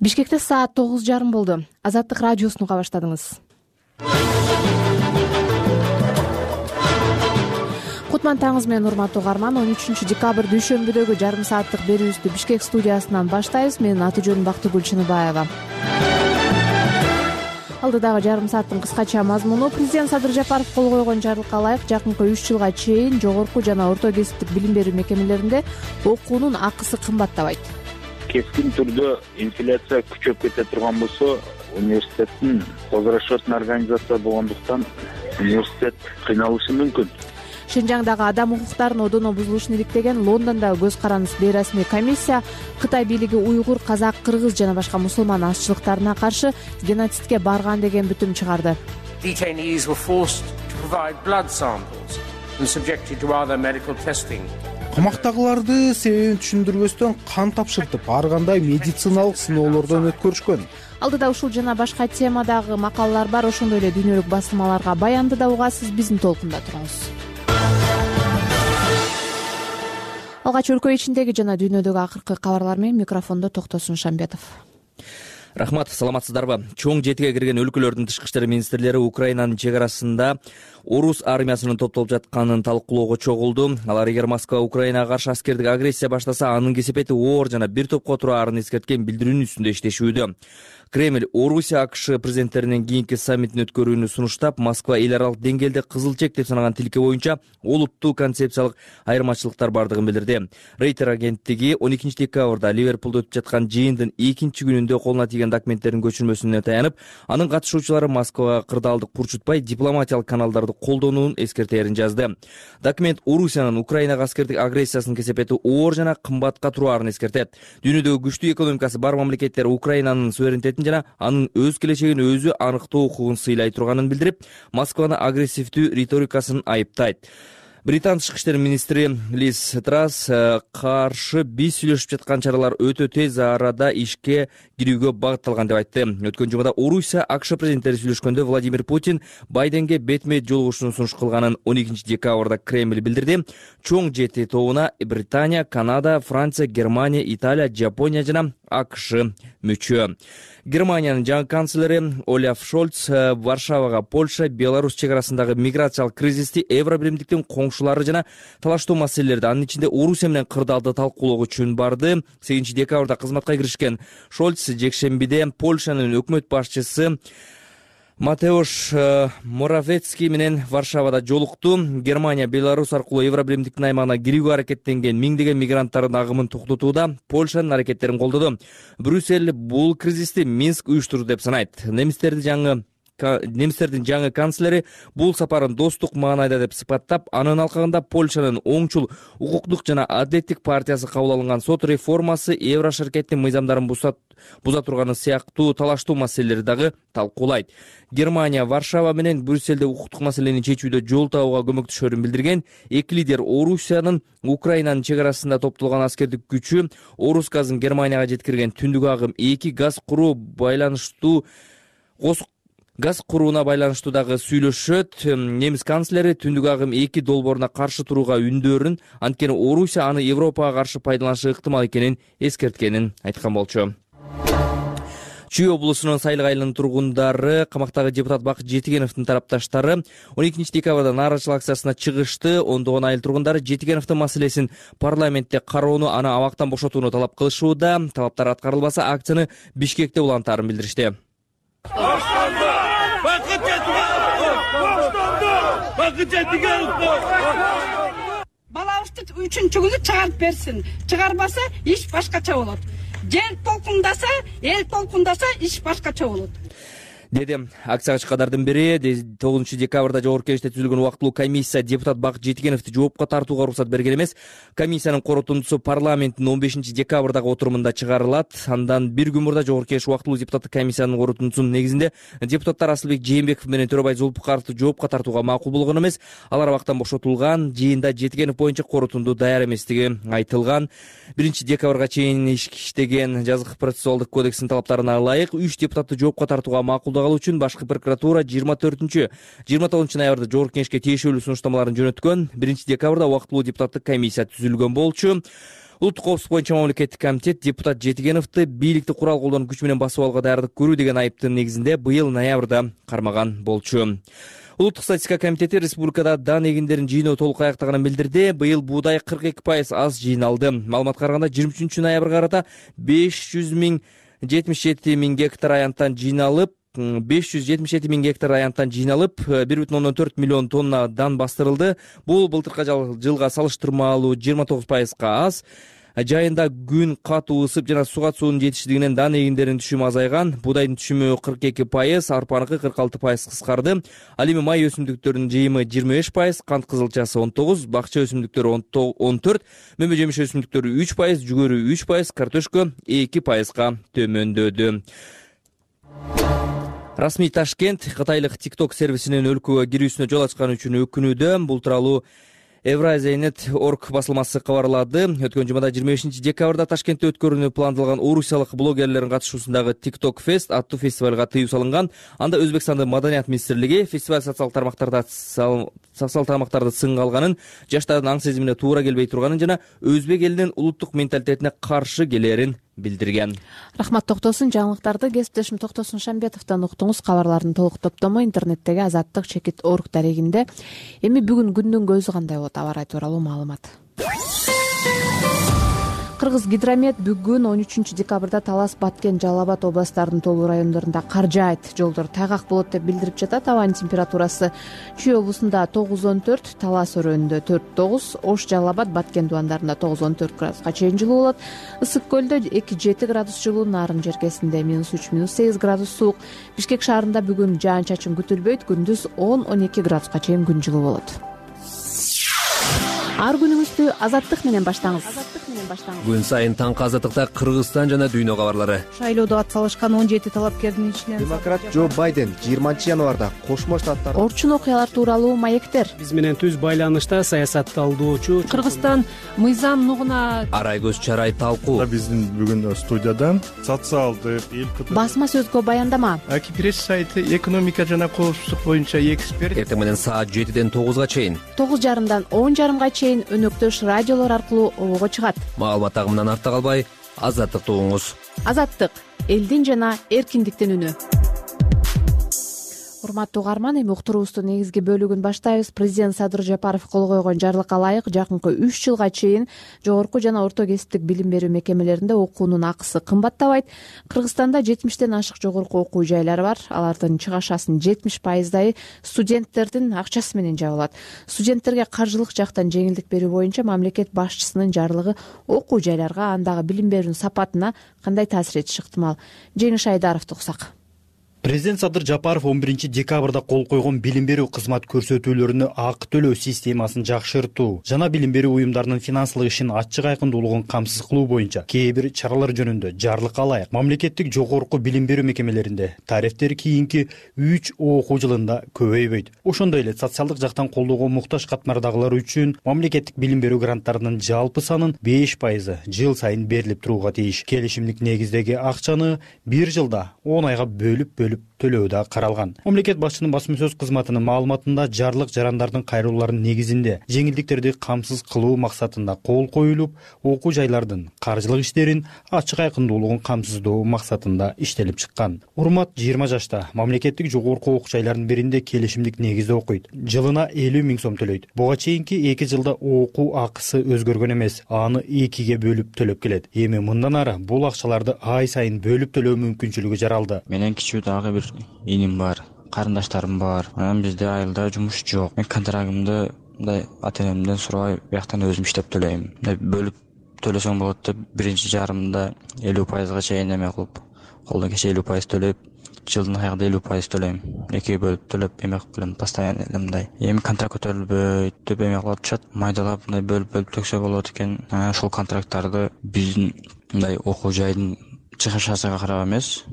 Бишкекте саат 9:30 болду. Азаттык радиосун уга баштадыңыз. Кутман таңыңыз менен урматтуу угарман. 13 декабрь дүйшөмбүдөгү жарым сааттык берүүбүздү Бишкек студиясынан баштайбыз. Менин аты-жөнүм Бактыгүл Чыныбаева. Алдыдагы жарым сааттын кыскача мазмуну: президент Садыр Жапаров кол койгон жарлыкка ылайык жакынкы 3 жылга чейин жогорку жана орто кесиптик билим берүү мекемелеринде окуунун акысы кымбаттабайт. Кескин түрдө инфляция күчөп кете турган болсо, университеттин козгорошотун организация болгондуктан университет кыйналышы мүмкүн. Шинжаңдагы адам укуктарынын одоно бузулушун иликтеген Лондондогу көз карандысыз бейрасмий комиссия Кытай бийлиги уйгур, казак, кыргыз жана башка мусулман азчылыктарына каршы геноцидке барган деген бүтүм чыгарды. Detainees were forced to provide blood samples and subjected to other medical testing. Камактагыларды себебин түшүндүрбөстөн кан тапшыртып, ар кандай медициналык сыноолордон өткөрүшкөн. Алдыда ушул жана башка темадагы макалалар бар. Ошондой эле дүйнөлүк басылмаларга баянды да угасыз. Биздин толкунда туруңуз. Алгач өлкө ичиндеги жана дүйнөдөгү акыркы кабарлар менен микрофондо Токтосун Шамбетов. Рахмат, саламатсыздарбы? Чоң жетиге кирген өлкөлөрдүн тышкы иштер министрлери Украинанын чек арасында орус армиясынын топтолуп жатканын талкуулоого чогулду. Алар эгер Москва Украинага каршы аскердик агрессия баштаса, анын кесепети оор жана бир топко тураарын эскерткен билдирүүнүн үстүндө иштешүүдө. Кремль Орусия АКШ президенттеринин кийинки саммитин өткөрүүнү сунуштап, Москва эл аралык деңгээлде кызыл чек деп санаган тилке боюнча олуттуу концепциялык айырмачылыктар бардыгын билдирди. Рейтер агенттиги 12 декабрда Ливерпулда өтүп жаткан жыйындын экинчи күнүндө колуна тийген документтердин көчүрмөсүнө таянып, анын катышуучулары Москвага кырдаалдык курчутпай дипломатиялык каналдарды колдонуун эскертерин жазды. Документ Орусиянын Украинага аскердик агрессиясынын кесепети оор жана кымбатка тураарын эскертет. Дүйнөдөгү күчтүү экономикасы бар мамлекеттер Украинанын суверенитетин жана анын өз келечегин өзү аныктоо укугун сыйлай турганын билдирип, Москваны агрессивдүү риторикасын айыптайт. Британ тышкы иштер министри Лиз Трасс каршы биз сүйлөшүп жаткан чаралар өтө тез арада ишке кирүүгө багытталган деп айтты. Өткөн жумада Орусия АКШ президенттери сүйлөшкөндө Владимир Путин Байденге бетме-бет жолугушууну сунуш кылганын 12 декабрда Кремль билдирди. Чоң жети тобуна Британия, Канада, Франция, Германия, Италия, Жапония жана АКШ мүчө. Германиянын жаңы канцлери Олаф Шольц Варшавага Польша, Беларусь чек арасындагы миграциялык кризисти, Евробиримдиктин коңшулары жана талаштуу маселелерди, анын ичинде Орусия менен кырдаалды талкуулоо үчүн барды. 8 декабрда кызматка киришкен Шольц жекшембиде Польшанын өкмөт башчысы Матеуш Моравецкий менен Варшавада жолукту. Германия Беларусь аркылуу Евробиримдиктин аймагына кирүүгө аракеттенген миңдеген мигранттардын агымын токтотууда Польшанын аракеттерин колдоду. Брюссель бул кризисти Минск уюштурду деп санайт. Немистердин жаңы канцлери бул сапарын достук маанайда деп сыпаттап, анын алкагында Польшанын оңчул укуктук жана адилеттик партиясы кабыл алынган сот реформасы Еврошеркеттин мыйзамдарын буза турганы сыяктуу талаштуу маселелерди дагы талкуулайт. Германия Варшава менен Брюссельде укуктук маселени чечүүдө жол табууга көмөктөшөрүн билдирген. Эки лидер Орусиянын Украинанын чек арасында топтолгон аскердик күчү Орус газын Германияга жеткирген түндүк агым 2 газ курууна байланыштуу дагы сүйлөшөт. Немис канцлери түндүк агым 2 долбооруна каршы турууга үндөрүн, анткени Орусия аны Европага каршы пайдаланышы ыктымал экенин эскерткенин айткан болчу. Чүй облусунун Сайлык айылынын тургундары, камактагы депутат Бакыт Жетигеновдун тарапташтары 12 декабрда нааразычылык акциясына чыгышты. Ондогон айыл тургундары Жетигеновдун маселесин парламентте кароону, аны абактан бошотууну талап кылышууда. Талаптар аткарылбаса, акцияны Бишкекте улантаарын билдиришти. Балабызды 3-чү күнү чыгарып берсин. Чыгарбаса, иш башкача болот. Жер толкундаса, эл толкундаса, иш башкача болот. деди. Акцияга чыккандардын бири 9 декабрда жогорку кеңеште түзүлгөн убактылуу комиссия депутат Бакыт Жетигеновду жоопко тартууга уруксат берген эмес. Комиссиянын корутундусу парламенттин 15 декабрдагы отурумунда чыгарылат. Андан бир күн мурда жогорку кеңеш убактылуу депутаттык комиссиянын корутундусунун негизинде депутаттар Асылбек Жээнбеков менен Төрөбай Зулпукаровду жоопко тартууга макул болгон эмес. Алар абактан бошотулган. Жыйында Жетигенов боюнча корутунду даяр эместиги айтылган. 1 декабрга чейин иштеген жазык процессуалдык кодекстин талаптарына ылайык 3 депутатты жоопко тартууга макулдагалуу үчүн башкы прокуратура 29 ноябрда жогорку кеңешке тиешелүү сунуштамаларын жөнөткөн. 1 декабрда убактылуу депутаттык комиссия түзүлгөн болчу. Улуттук коопсуздук боюнча мамлекеттик комитет депутат Жетигеновду бийликти курал колдонуп күч менен басып алууга даярдык көрүү деген айыптын негизинде быйыл ноябрда кармаган болчу. Улуттук статистика комитети республикада дан эгиндерин жыйноо толук аяктаганын билдирди. Быйыл буудай 42% аз жыйналды. Маалыматка караганда 23-ноябрга карата 577 миң гектар аянттан жыйналып 1,4 миллион тонна дан бастырылды. Бул былтыркы жылга салыштырмалуу 29% аз. Жайында күн катуу ысып жана суга суунун жетишсиздигинен дан эгиндеринин түшүмү азайган. Будайдын түшүмү 42%, арпаныкы 46% кыскарды. Ал эми май өсүмдүктөрүнүн жыйымы 25%, кант кызылчасы 19%, бакча өсүмдүктөрү 14%, мөмө жемиш өсүмдүктөрү 3%, жүгөрү 3%, картошка 2%га төмөндөдү. Расмий Ташкент кытайлык TikTok сервисинин өлкөгө кирүүсүнө жол ачканы үчүн өкүнүүдө. Бул тууралуу Евразия.net.org басылмасы кабарлады. Өткөн жумада 25 декабрда Ташкентте өткөрүүнү пландалган орусиялык блогерлердин катышуусундагы TikTok Fest аттуу фестивалга тыюу салынган. Анда Өзбекстандын маданият министрлиги фестиваль социалдык тармактарды сынга алганын, жаштардын аң сезимине туура келбей турганын жана өзбек элинин улуттук менталитетине каршы келерин билдирген. Рахмат Токтосун. Жаңылыктарды кесиптешим Токтосун Шамбетовдон уктуңуз. Кабарлардын толук топтому интернеттеги azattik.org дарегинде. Эми бүгүн күндүн көзү кандай болот? Аба ырайы тууралуу маалымат. Кыргыз гидромет бүгүн 13 декабрда Талас, Баткен, Жалал Абад областтарынын толуу райондорунда кар жаайт, жолдор тайгак болот деп билдирип жатат. Абанын температурасы Чүй облусунда 9-14, Талас өрөөнүндө 4-9, Ош, Жалал Абад, Баткен дубандарында 9-14 градуска чейин жылуу болот. Ысык көлдө 2-7 градус жылуу, Нарын жеркесинде -3-8 градус суук. Бишкек шаарында бүгүн жаан-чачын күтүлбөйт, күндүз 10-12 градуска чейин күн жылуу болот. Ар күнүңүздү Азаттык менен баштаңыз. Күн сайын таңкы Азаттыкта Кыргызстан жана дүйнө кабарлары. Шайлоодо ат салышкан 17 талапкердин ичинен демократ Джо Байден 20 январда Кошмо Штаттар орчун окуялар тууралуу маектер. Биз менен түз байланышта саясатталдоочу Кыргызстан мыйзам нугуна Арайгөз Чарай талкуу. Биздин бүгүн студияда социалдык басма сөзгө баяндама. Акипресс сайты экономика жана коопсуздук боюнча эксперт. Эртең менен саат 7-ден 9-га чейин, 9:30дан 10:30га чейин өнөктөш радиолор аркылуу обого чыгат. Маалымат агымынан артта калбай, Азаттыкты угуңуз. Азаттык — элдин жана эркиндиктин үнү. Урматтуу угарман, эми уктуруубуздун негизги бөлүгүн баштайбыз. Президент Садыр Жапаров кол койгон жарлыкка ылайык жакынкы 3 жылга чейин жогорку жана орто кесиптик билим берүү мекемелеринде окуунун акысы кымбаттабайт. Кыргызстанда 70тен ашык жогорку окуу жайлары бар. Алардын чыгашасын 70%дайы студенттердин акчасы менен жабылат. Студенттерге каржылык жактан жеңилдик берүү боюнча мамлекет башчысынын жарлыгы окуу жайларга, андагы билим берүүнүн сапатына кандай таасир этиши ыктымал? Жеңиш Айдаровду уксак. Президент Садыр Жапаров 11 декабрда кол койгон билим берүү кызмат көрсөтүүлөрүнө акы төлөө системасын жакшыртуу жана билим берүү уюмдарынын финансылык ишин ачык айкындуулугун камсыз кылуу боюнча кээ бир чаралар жөнүндө жарлыкка ылайык мамлекеттик жогорку билим берүү мекемелеринде тарифтер кийинки 3 окуу жылында көбөйбөйт. Ошондой эле социалдык жактан колдоого муктаж катмардагылар үчүн мамлекеттик билим берүү гранттарынын жалпы санын 5% жыл сайын берилип турууга тийиш. Келишимдик негиздеги акчаны 1 жылда 10 айга бөлүп төлөө да каралган. Мамлекет башчынын басма сөз кызматынын маалыматында жарлык жарандардын кайрылууларынын негизинде жеңилдиктерди камсыз кылуу максатында кол коюлуп, окуу жайлардын каржылык иштерин ачык айкындуулугун камсыздоо максатында иштелип чыккан. Урмат 20 жашта мамлекеттик жогорку окуу жайларынын биринде келишимдик негизде окуйт. Жылына 50 миң сом төлөйт. Буга чейинки 2 жылда окуу акысы өзгөргөн эмес, аны 2ге бөлүп төлөп келет. Эми мындан ары бул акчаларды ай сайын бөлүп төлөө мүмкүнчүлүгү жаралды. Менен кичүү дагы бир иним бар, карындаштарым бар. Анан бизде айылда жумуш жок. Мен контрагымды мындай ата-энемден сурабай бияктан өзүм иштеп төлөйм. Бөлүп төлөсөң болот деп биринчи жарымда 50%га чейин эме кылып, колдон кече 50% төлөп, жылдын аягында 50% төлөйм. 2ге бөлүп төлөп эме кылып келем, постоянно мындай. Эми контракт көтөрүлбөйт деп эме кылып атышат. Майдалап мындай бөлүп төксө болот экен. Ошол контракттарды биздин мындай окуу жайдын чыгышасыга карап эмес,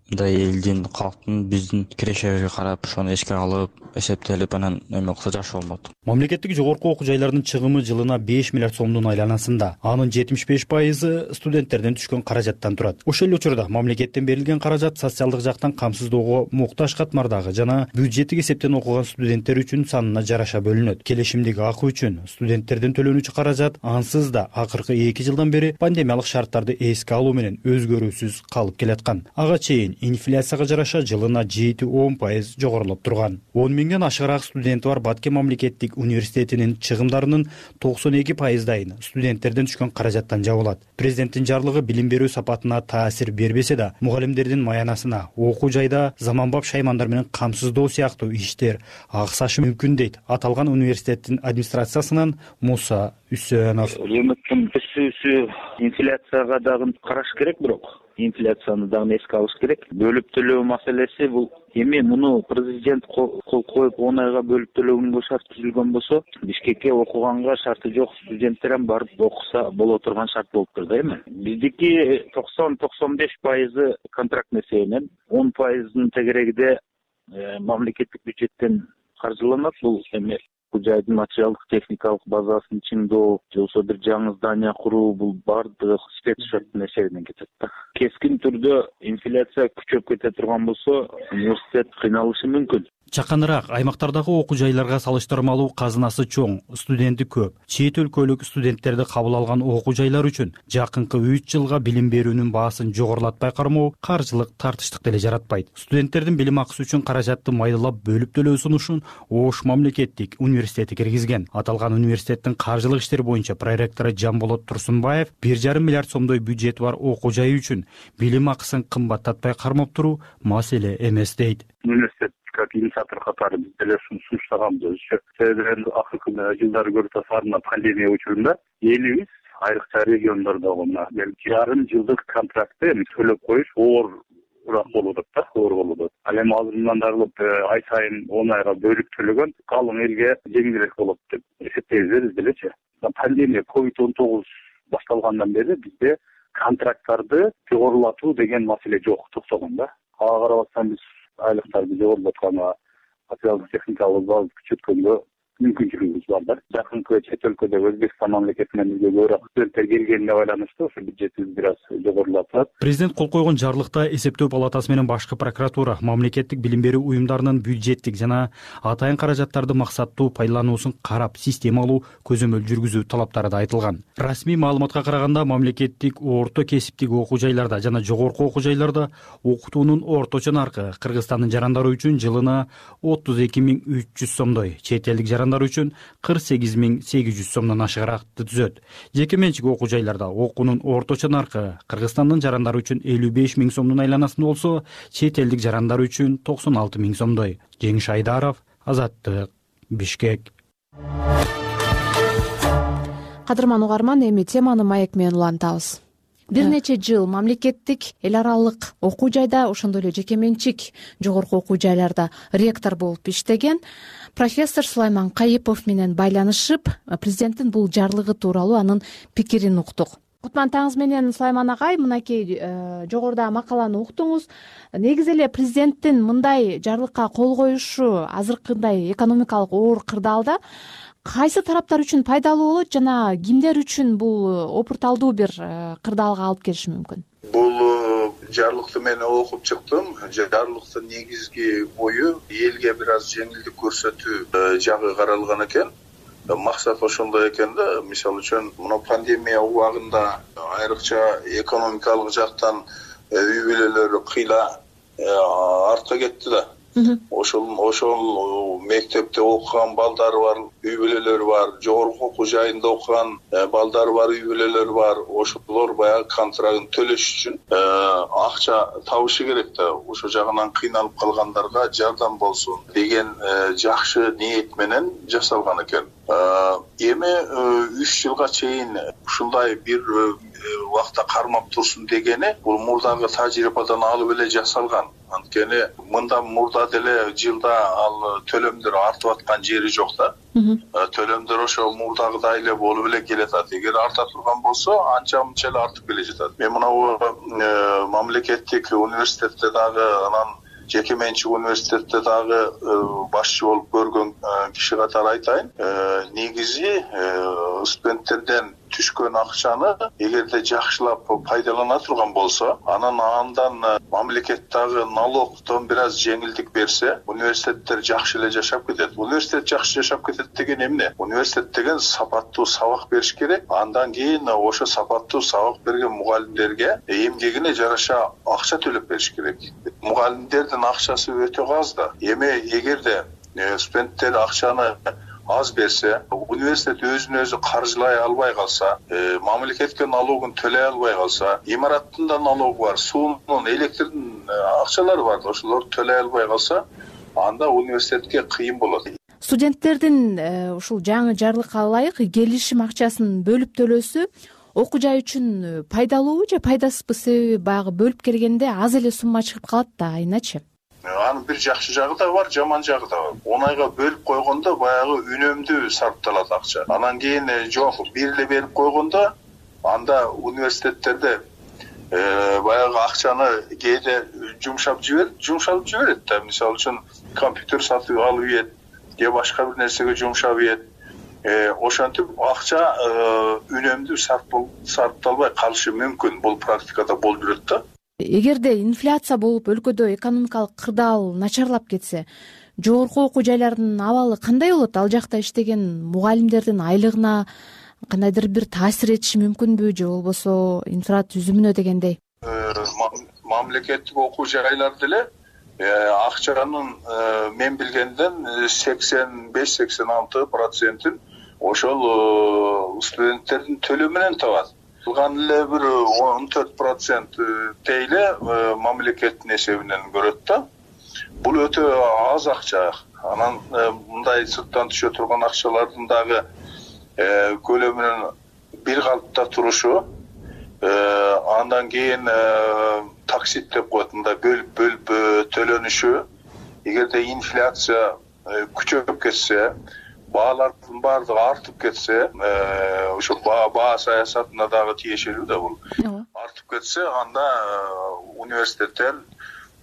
мындай элдин, калктын биздин кирешебизге карап ошону эске алып, эсептелип анан эме кылса жакшы болмок. Мамлекеттик жогорку окуу жайларынын чыгымы жылына 5 миллиард сомдун айланасында. Анын 75% студенттерден түшкөн каражаттан турат. Ошол эле учурда мамлекеттен берилген каражат социалдык жактан камсыздоого муктаж катмардагы жана бюджеттик эсептен окуган студенттер үчүн санына жараша бөлүнөт. Келишимдеги акы үчүн студенттерден төлөнүүчү каражат ансыз да акыркы 2 жылдан бери пандемиялык шарттарды эске алуу менен өзгөрүүсүз калып келаткан. Ага чейин инфляцияга жараша жылына 7-10% жогорулап турган. 10 миңден ашыгыраак студенти бар Баткен мамлекеттик университетинин чыгымдарынын 92%дайын студенттерден түшкөн каражаттан жабылат. Президенттин жарлыгы билим берүү сапатына таасир бербесе да, мугалимдердин маянасына окуу жайда заманбап шаймандар менен камсыздоо сыяктуу иштер аксашы мүмкүн дейт аталган университеттин администрациясынан Муса Үсөнов. Өкмөттүн өсүүсү инфляцияга дагы караш керек, бирок инфляцияны дагы эске алыш керек. Бөлүп төлөө маселеси бул эми муну президент кол коюп 10 айга бөлүп төлөгөнгө шарт түзүлгөн болсо, Бишкекке окуганга шарты жок студенттер ham барып окуса боло турган шарт болуптур да эми. Биздики 90-95% контрактный эсебинен, 10% тегерегиде мамлекеттик бюджеттен каржыланат. Бул эми жайдын материалдык техникалык базасын чыңдоо, же болбосо бир жаңы здание куруу, бул баардыгы спецшоттун эсебинен кетет да. Кескин түрдө инфляция күчөп кете турган болсо, университет кыйналышы мүмкүн. Жакыныраак аймактардагы окуу жайларга салыштырмалуу казынасы чоң, студенти көп. Чет өлкөлүк студенттерди кабыл алган окуу жайлар үчүн жакынкы 3 жылга билим берүүнүн баасын жогорулатпай кармоо каржылык тартыштык деле жаратпайт. Студенттердин билим акысы үчүн каражатты майдалап бөлүп төлөө сунушун Ош мамлекеттик университети киргизген. Аталган университеттин каржылык иштери боюнча проректору Жамболот Турсунбаев 1,5 миллиард сомдой бюджети бар окуу жайы үчүн билим акысын кымбаттатпай кармап туруу маселе эмес дейт. Университет как инициатор катары биз деле сунуштаганбыз. Себеби акыркы жылдары көрүп атасыздар, пандемия учурунда элибиз айрыкча региондордогу жарым жылдык контрактты төлөп коюш оорураак болуп атат да, оор болуп атат. Ал эми азырынан дагы ай сайын 10 айга бөлүп төлөгөн калың элге жеңилирээк болот деп эсептейбиз биз делечи. Пандемия COVID-19 башталгандан бери бизде контракттарды жогорулатуу деген маселе жок, токтогон да. Ага карап атсаң биз айлыктарды жогорулатканга, материалдык техникалык базаны күчөткөнгө мүмкүнчүлүгүбүз бар да. Жакынкы чет өлкөдөгү Өзбекстан мамлекетинен бизге көбүрөөк студенттер келгенине байланыштуу ошо бюджетибиз бир аз жогорулатат. Президент кол койгон жарлыкта эсептөө палатасы менен башкы прокуратура мамлекеттик билим берүү уюмдарынын бюджеттик жана атайын каражаттарды максаттуу пайдалануусун карап, системалуу көзөмөл жүргүзүү талаптары да айтылган. Расмий маалыматка караганда мамлекеттик орто кесиптик окуу жайларда жана жогорку окуу жайларда окутуунун орточо наркы Кыргызстандын жарандары үчүн жылына 32.300 сомдой, чет элдик үчүн 48.800 сомдон ашыгыраакты түзөт. Жеке менчик окуу жайларда окуунун орточо наркы Кыргызстандын жарандары үчүн 55.000 сомдун айланасында болсо, чет элдик жарандар үчүн 96.000 сомдой. Жеңиш Айдаров, Азаттык, Бишкек. Кадырман угарман, эми теманы маек менен улантабыз. Бир нече жыл мамлекеттик, эл аралык окуу жайда, ошондой эле жеке менчик жогорку окуу жайларда ректор болуп иштеген профессор Сулайман Кайыпов менен байланышып, президенттин бул жарлыгы тууралуу анын пикирин уктук. Кутман таңыз менен Сулайман агай, мынакей жогоруда макаланы уктуңуз. Негизи эле президенттин мындай жарлыкка кол коюшу азыркындай экономикалык оор кырдаалда кайсы тараптар үчүн пайдалуу болот жана кимдер үчүн бул опурталдуу бир кырдаалга алып келиши мүмкүн? Бул жарлыкты мен окуп чыктым. Жарлыктын негизги ою элге бир аз жеңилдик көрсөтүү жагы каралган экен. Максат ошондой экен да. Мисалы үчүн, мына пандемия убагында айрыкча экономикалык жактан үй бүлөлөр кыйла артка кетти да. Ошол мектепте окуган балдары бар, үй бүлөлөрү бар, жогорку окуу жайында окуган балдары бар, үй бүлөлөрү бар. Ошолор баягы контрактын төлөш үчүн акча табышы керек да. Ошо жагынан кыйналып калгандарга жардам болсун деген жакшы ниет менен жасалган экен. Эми 3 жылга чейин ушундай бир убакта кармап турсун дегени бул мурдагы тажрыйбадан алып эле жасалган. Анткени мындан мурда деле жылда ал төлөмдөр артып аткан жери жок да. Төлөмдөр ошо мурдагыдай эле болуп эле келатат. Эгер арта турган болсо, анча мынча эле артып келе жатат. Мен мынабу мамлекеттик университетте дагы, анан жеке менчик университетте дагы башчы болуп көргөн киши катары айтайын. Негизи студенттерден түшкөн акчаны эгерде жакшылап пайдалана турган болсо, андан мамлекет дагы налогдон бир аз жеңилдик берсе, университеттер жакшы эле жашап кетет. Университет жакшы жашап кетет деген эмне? Университет деген сапаттуу сабак бериш керек. Андан кийин ошо сапаттуу сабак берген мугалимдерге эмгегине жараша акча төлөп бериш керек. Мугалимдердин акчасы өтө аз да. Эми эгерде студенттер акчаны аз берсе, университет өзүн өзү каржылай албай калса, мамлекетке налогун төлөй албай калса, имараттын да налогу бар, суунун, электрдин акчалары бар, ошолорду төлөй албай калса, анда университетке кыйын болот. Студенттердин ушул жаңы жарлыкка ылайык келишим акчасын бөлүп төлөөсү окуу жай үчүн пайдалуубу же пайдасызбы? Себеби баягы бөлүп келгенде аз эле сумма чыгып калат да, айначы. Анын бир жакшы жагы да бар, жаман жагы да бар. Оңайга бөлүп койгондо баягы үнөмдүү сарпталат акча. Анан кийин жок, бир эле берип койгондо анда университеттерде баягы акчаны кээде жумшалып жиберет да. Мисалы үчүн компьютер сатып алып ийет, же башка бир нерсеге жумшап ийет. Ошентип акча үнөмдүү сарпталбай калышы мүмкүн. Бул практикада болуп жүрөт да. Эгерде инфляция болуп өлкөдө экономикалык кырдаал начарлап кетсе, жогорку окуу жайлардын абалы кандай болот? Ал жакта иштеген мугалимдердин айлыгына кандайдыр бир таасир этиши мүмкүнбү же болбосо инфратүзүмүнө дегендей? Мамлекеттик окуу жайлар деле акчанын мен билгенден 85-86% ошол студенттердин төлөмүнөн табат. Калган эле бир 14% тейле мамлекеттин эсебинен көрөт да. Бул өтө аз акча. Анан мындай сырттан түшө турган акчалардын дагы көлөмүнүн бир калыпта турушу, андан кийин таксит деп коет, мындай бөлүп төлөнүшү. Эгерде инфляция күчөп кетсе, баалардын баардыгы артып кетсе, ошо баа саясатына дагы тиешелүү да бул. Артып кетсе, анда университеттер,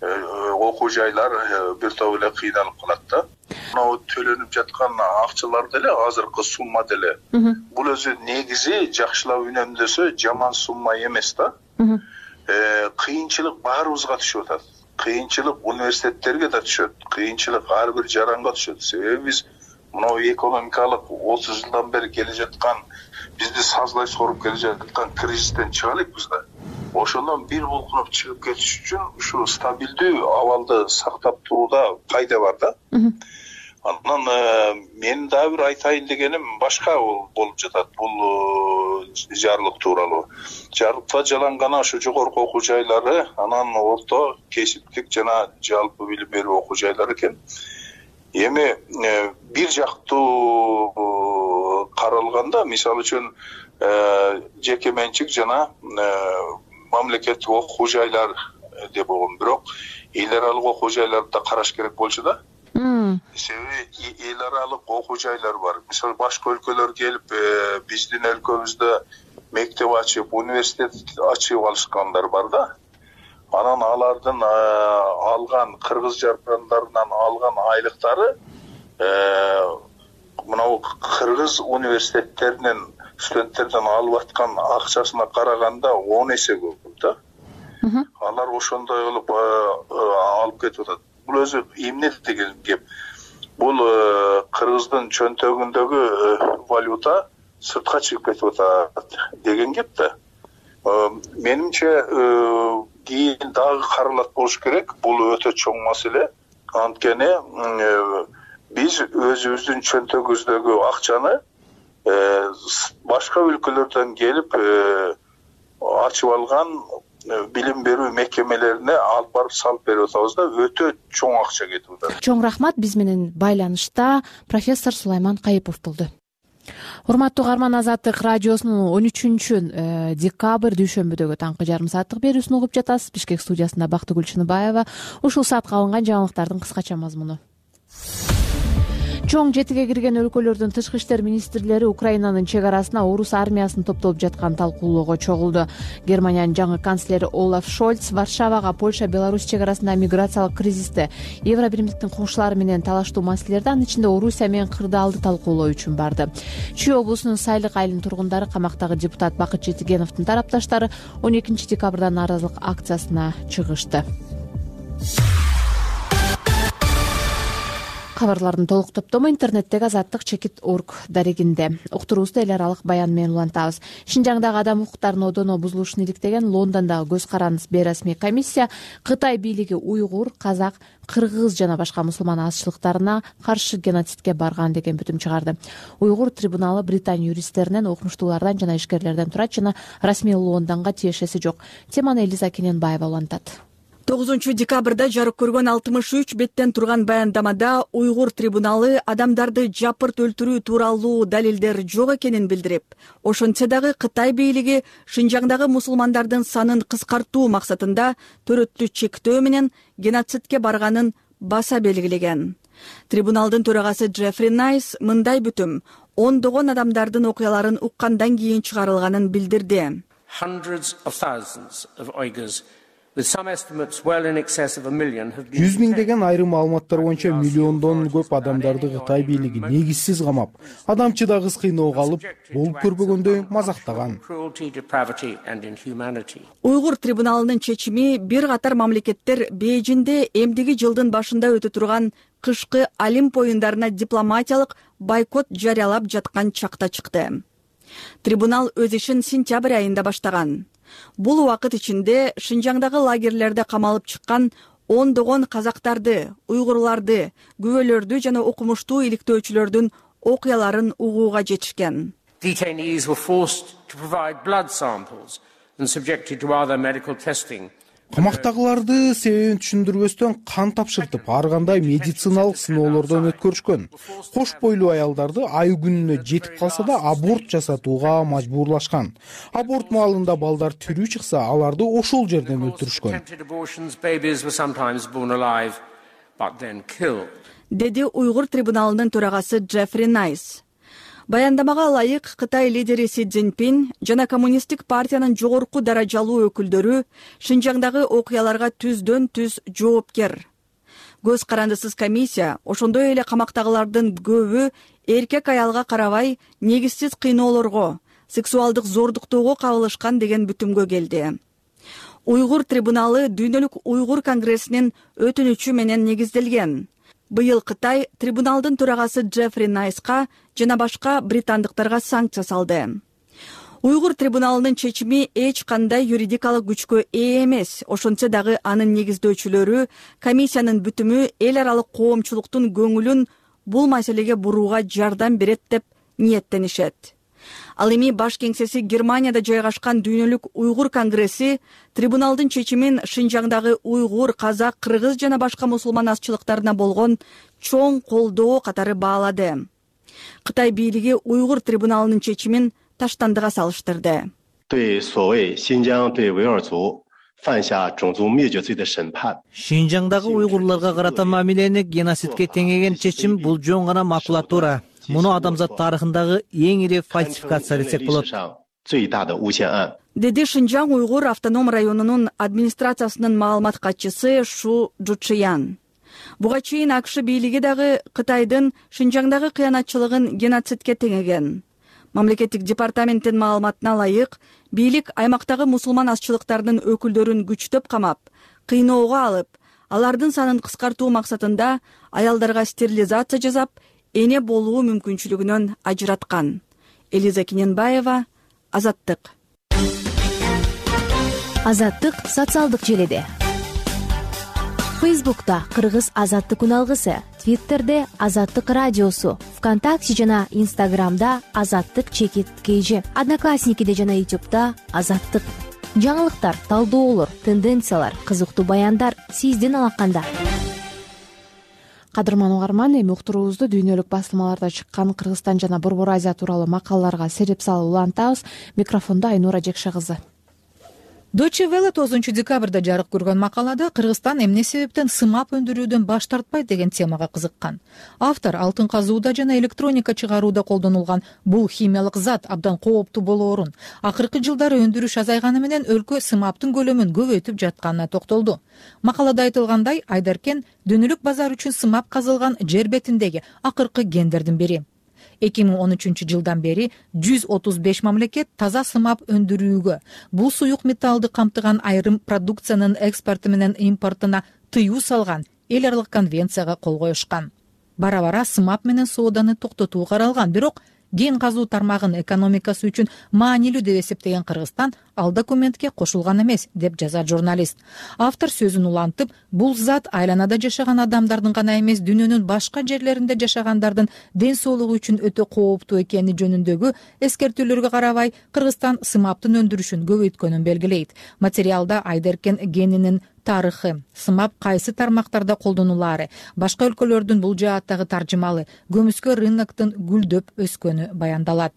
окуу жайлар бир топ эле кыйналып калат да. Мына төлөнүп жаткан акчалар деле, азыркы сумма деле, бул өзү негизи жакшылап үнөмдөсө жаман сумма эмес да. Кыйынчылык баарыбызга түшүп атат. Кыйынчылык университеттерге да түшөт. Кыйынчылык ар бир жаранга түшөт. Себеби биз мына экономикалык 30 жылдан бери келе жаткан, бизди сазлай соруп келе жаткан кризистен чыга элекпиз да. Ошондон бир булкунуп чыгып кетиш үчүн ушу стабилдүү абалды сактап турууда пайда бар да. Анан мен дагы бир айтайын дегеним башка болуп жатат бул жарлык тууралуу. Жарлыкта жаланган ошо жогорку окуу жайлары, анан орто, кесиптик жана жалпы билим берүү окуу жайлары экен. Эми бир жактуу каралганда, мисалы үчүн жеке менчик жана мамлекеттик окуу жайлар деп койгон, бирок эл аралык окуу жайларды да караш керек болчу да. Себеби эл аралык окуу жайлар бар. Мисалы башка өлкөлөр келип биздин өлкөбүздө мектеп ачып, университет ачып алышкандар бар да. Анан алардын алган кыргыз жарандарынан алган айлыктары мынау кыргыз университеттеринин студенттерден алып аткан акчасына караганда 10 эсе көп да. Алар ошондой кылып алып кетип атат. Бул өзү эмне деген кеп. Бул кыргыздын чөнтөгүндөгү валюта сыртка чыгып кетип атат деген кеп да. Менимче кийин дагы каралат болуш керек. Бул өтө чоң маселе. Анткени биз өзүбүздүн чөнтөгүбүздөгү акчаны башка өлкөлөрдөн келип ачып алган билим берүү мекемелерине алып барып салып берип атабыз да, өтө чоң акча кетип атат. Чоң рахмат. Биз менен байланышта профессор Сулайман Кайыпов болду. урматтуу каарман, Азаттык радиосунун 13 декабрь дүйшөмбүдөгү таңкы жарым сааттык берүүсүн угуп жатасыз. Бишкек студиясында Бактыгүл Чыныбаева. Ушул саатка алынган жаңылыктардын кыскача мазмуну. Чоң жетиге кирген өлкөлөрдүн тышкы иштер министрлери Украинанын чек арасына орус армиясынын топтолуп жаткан талкуулоого чогулду. Германиянын жаңы канцлери Олаф Шольц Варшавага Польша Беларусь чек арасында миграциялык кризисти, Евро биримдиктин коңшулары менен талаштуу маселелерди, анын ичинде Орусия менен кырдаалды талкуулоо үчүн барды. Чүй облусунун Сайлык айылынын тургундары камактагы депутат Бакыт Жетигеновдун тарапташтары 12 декабрда нааразылык акциясына чыгышты. Кабарлардын толук топтому интернеттеги azattik.org дарегинде. Уктуруубузду эл аралык баян менен улантабыз. Шинжаңдагы адам укуктарын одоно бузулушун иликтеген Лондондогу көз карандысыз бейресмий комиссия Кытай бийлиги уйгур, казак, кыргыз жана башка мусулман азчылыктарына каршы геноцидке барган деген бүтүм чыгарды. Уйгур трибуналы Британия юристтеринен, окумуштуулардан жана ишкерлерден турат жана расмий Лондонго тиешеси жок. Теманы Элиза Кененбаева улантат. 9 декабрда жарык көргөн 63 беттен турган баяндамада уйгур трибуналы адамдарды жапырт өлтүрүү тууралуу далилдер жок экенин билдирип, ошентсе дагы Кытай бийлиги Шинжаңдагы мусулмандардын санын кыскартуу максатында төрөттү чектөө менен геноцидке барганын баса белгилеген. Трибуналдын төрагасы Джеффри Найс мындай бүтүм ондогон адамдардын окуяларын уккандан кийин чыгарылганын билдирди. Жүз миңдеген айрым маалыматтар боюнча миллиондон көп адамдарды Кытай бийлиги негизсиз камап, адамчыдагыс кыйноого алып, болуп көрбөгөндөй мазактаган. Уйгур трибуналынын чечими бир катар мамлекеттер Бейжинде эмдиги жылдын башында өтө турган кышкы Олимп оюндарына дипломатиялык бойкот жарыялап жаткан чакта чыкты. Трибунал өз ишин сентябрь айында баштаган. Бул убакыт ичинде Шинжаңдагы лагерлерде камалып чыккан ондогон казактарды, уйгурларды, күбөлөрдү жана окумуштуу иликтөөчүлөрдүн окуяларын угууга жетишкен. Detainees were forced to provide blood samples and subjected to other medical testing. Камактагыларды себебин түшүндүрбөстөн кан тапшыртып, ар кандай медициналык сыноолордон өткөрүшкөн. Кош бойлуу аялдарды ай күнүнө жетип калса да аборт жасатууга мажбурлашкан. Аборт маалында балдар тирүү чыкса, аларды ошол жерден өлтүрүшкөн. Деди уйгур трибуналынын төрагасы Джеффри Найс. Баяндамага ылайык Кытай лидери Си Цзиньпин жана коммунисттик партиянын жогорку даражалуу өкүлдөрү Шинжаңдагы окуяларга түздөн түз жоопкер. Көз карандысыз комиссия ошондой эле камактагылардын көбү эркек аялга карабай негизсиз кыйноолорго, сексуалдык зордуктоого кабылышкан деген бүтүмгө келди. Уйгур трибуналы Дүйнөлүк уйгур конгрессинин өтүнүчү менен негизделген. Быйыл Кытай трибуналдын төрагасы Джеффри Найска жана башка британдыктарга санкция салды. Уйгур трибуналынын чечими эч кандай юридикалык күчкө ээ эмес, ошентсе дагы анын негиздөөчүлөрү комиссиянын бүтүмү эл аралык коомчулуктун көңүлүн бул маселеге бурууга жардам берет деп ниеттенишет. Ал эми баш кеңсеси Германияда жайгашкан Дүйнөлүк уйгур конгресси трибуналдын чечимин Шинжаңдагы уйгур, казак, кыргыз жана башка мусулман азчылыктарына болгон чоң колдоо катары баалады. Кытай бийлиги уйгур трибуналынын чечимин таштандыга салыштырды. Шинжаңдагы уйгурларга карата мамилени геноцидке теңеген чечим бул жөн гана макулатура. Муну адамзат тарыхындагы эң ири фальсификация десек болот. Деди Шинжаң уйгур автоном районунун администрациясынын маалымат катчысы Шу Жучиян. Буга чейин АКШ бийлиги дагы Кытайдын Шинжаңдагы кыянатчылыгын геноцидке теңеген. Мамлекеттик департаменттин маалыматына ылайык, бийлик аймактагы мусулман азчылыктарынын өкүлдөрүн күчтөп камап, кыйноого алып, алардын санын кыскартуу максатында аялдарга стерилизация жасап, эне болуу мүмкүнчүлүгүнөн ажыраткан. Элиза Кененбаева, Азаттык. Азаттык социалдык желеде. Фейсбукта Кыргыз Азаттык уналгысы, Твиттерде Азаттык радиосу, ВКонтакте жана Инстаграмда Азаттык_KG, Одноклассникиде жана Ютубта Азаттык. Жаңылыктар, талдоолор, тенденциялар, кызыктуу баяндар сиздин алаканда. Кадырман угарман, эми уктуруубузду дүйнөлүк басылмаларда чыккан Кыргызстан жана Борбор Азия тууралуу макалаларга сереп салып улантабыз. Микрофондо Айнура Жекше кызы. Deutsche Welle 9 декабрда жарык көргөн макалада Кыргызстан эмне себептен сымап өндүрүүдөн баш тартпайт деген темага кызыккан. Автор алтын казууда жана электроника чыгарууда колдонулган бул химиялык зат абдан кооптуу болоорун, акыркы жылдары өндүрүш азайганы менен өлкө сымаптын көлөмүн көбөйтүп жатканына токтолду. Макалада айтылгандай, Айдаркен дүйнөлүк базар үчүн сымап казылган жер бетиндеги акыркы кендердин бири. 2013 жылдан бери 135 мамлекет таза сымап өндүрүүгө, бул суюк металлды камтыган айрым продукциянын экспорту менен импортуна тыюу салган эл аралык конвенцияга кол коюшкан. Бара-бара сымап менен сооданы токтотуу каралган, бирок кен казуу тармагын экономикасы үчүн маанилүү деп эсептеген Кыргызстан ал документке кошулган эмес, деп жазат журналист. Автор сөзүн улантып, бул зат айланада жашаган адамдардын гана эмес, дүйнөнүн башка жерлеринде жашагандардын ден соолугу үчүн өтө кооптуу экени жөнүндөгү эскертүүлөргө карабай, Кыргызстан сымаптын өндүрүшүн көбөйткөнүн белгилейт. Материалда Айдаркен генинин тарыхы, сымап кайсы тармактарда колдонулаары, башка өлкөлөрдүн бул жааттагы таржымалы, көмүскө рыноктун гүлдөп өскөнү баяндалат.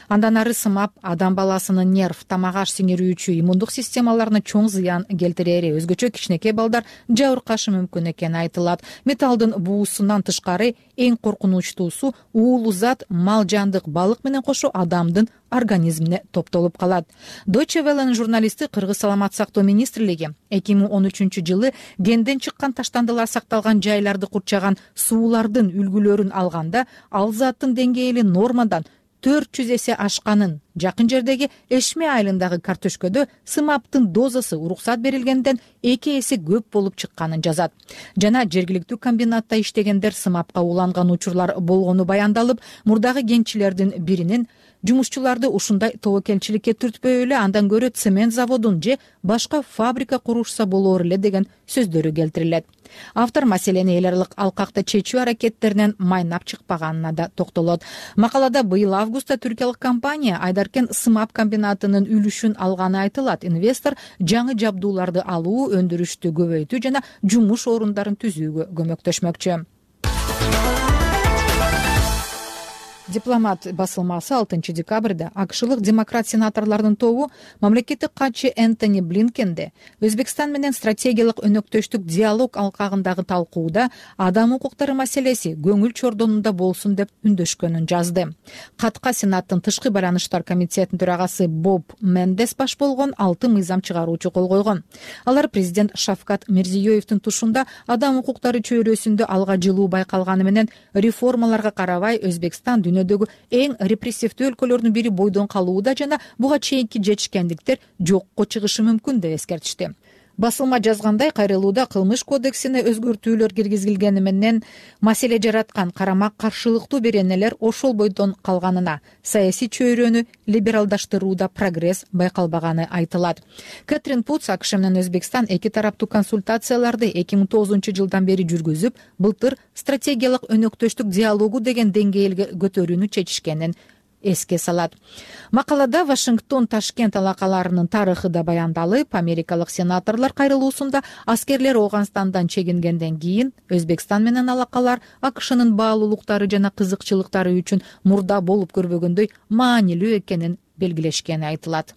Андан ары сымап адам баласынын нерв, тамак аш сиңирүүчү иммундук системаларына чоң зыян келтирери, өзгөчө кичинекей балдар жабыркашы мүмкүн экени айтылат. Металлдын буусунан тышкары эң коркунучтуусу уулуу зат мал, жандык, балык менен кошо адамдын организмине топтолуп калат. Deutsche Welle'нин журналисти Кыргыз саламат сактоо министрлиги 2013 жылы кенден чыккан таштандылар сакталган жайларды курчаган суулардын үлгүлөрүн алганда, ал заттын деңгээли нормадан 400 эсе ашканын, жакын жердеги Эшме айылындагы картөшкөдө сымаптын дозасы уруксат берилгенден 2 эсе көп болуп чыкканын жазат. Жана жергиликтүү комбинатта иштегендер сымапка уланган учурлар болгону баяндалып, мурдагы кенчилердин биринин жумушчуларды ушундай тобокелчиликке түртпөй эле андан көрө цемент заводун же башка фабрика курушса болор эле деген сөздөрү келтирилет. Автор маселени эл аралык алкакта чечүү аракеттеринен майнап чыкпаганына да токтолот. Макалада быйыл августта түркиялык компания Айдаркен сымап комбинатынын үлүшүн алганы айтылат. Инвестор жаңы жабдууларды алуу, өндүрүштү көбөйтүү жана жумуш орундарын түзүүгө көмөктөшмөкчү. Дипломат басылмасы 6 декабрда акшылык демократ сенаторлордун тобу мамлекеттик катчы Энтони Блинкенде Өзбекстан менен стратегиялык өнөктөштүк диалог алкагындагы талкууда адам укуктары маселеси көңүл чордонунда болсун деп үндөшкөнүн жазды. Катка Сенаттын тышкы байланыштар комитетинин төрагасы Боб Мендес баш болгон 6 мыйзам чыгаруучу кол койгон. Алар президент Шавкат Мирзиёевдин тушунда адам укуктары чөйрөсүндө алга жылуу байкалганы менен реформаларга карабай Өзбекстан дүйнөдөгү эң репрессивдүү өлкөлөрдүн бири бойдон калууда жана буга чейинки жетишкендиктер жокко чыгышы мүмкүн деп эскертишти. Басылма жазгандай, кайрылууда кылмыш кодексине өзгөртүүлөр киргизилгени менен маселе жараткан карама каршылыктуу беренелер ошол бойдон калганына, саясий чөйрөнү либералдаштырууда прогресс байкалбаганы айтылат. Кэтрин Путс АКШ менен Өзбекстан эки тараптуу консультацияларды 2009 жылдан бери жүргүзүп, былтыр стратегиялык өнөктөштүк диалогу деген деңгээлге көтөрүүнү чечишкенин эске салат. Макалада Вашингтон Ташкент алакаларынын тарыхы да баяндалып, америкалык сенаторлор кайрылуусунда аскерлер Ооганстандан чегингенден кийин Өзбекстан менен алакалар АКШнын баалуулуктары жана кызыкчылыктары үчүн мурда болуп көрбөгөндөй маанилүү экенин белгилешкени айтылат.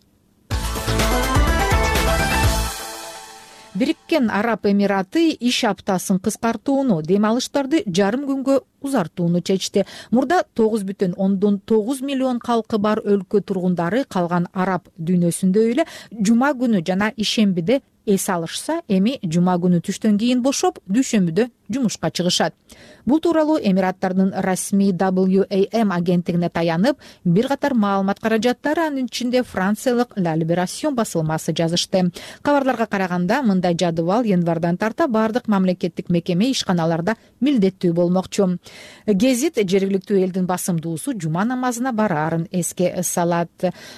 Бириккен Араб Эмираты иш аптасын кыскартууну, дем алыштарды жарым күнгө узартууну чечти. Мурда 9,9 миллион калкы бар өлкө тургундары калган араб дүйнөсүндө эле жума күнү жана ишембиде эс алышса, эми жума күнү түштөн кийин бошоп, дүйшөмбүдө жумушка чыгышат. Бул тууралуу Эмираттардын расмий WAM агенттигине таянып, бир катар маалымат каражаттары, анын ичинде франциялык La Libération басылмасы жазышты. Кабарларга караганда, мындай жадыбал январдан тарта бардык мамлекеттик мекеме ишканаларда милдеттүү болмокчу. Гезит жергиликтүү элдин басымдуусу жума намазына бараарын эске салат.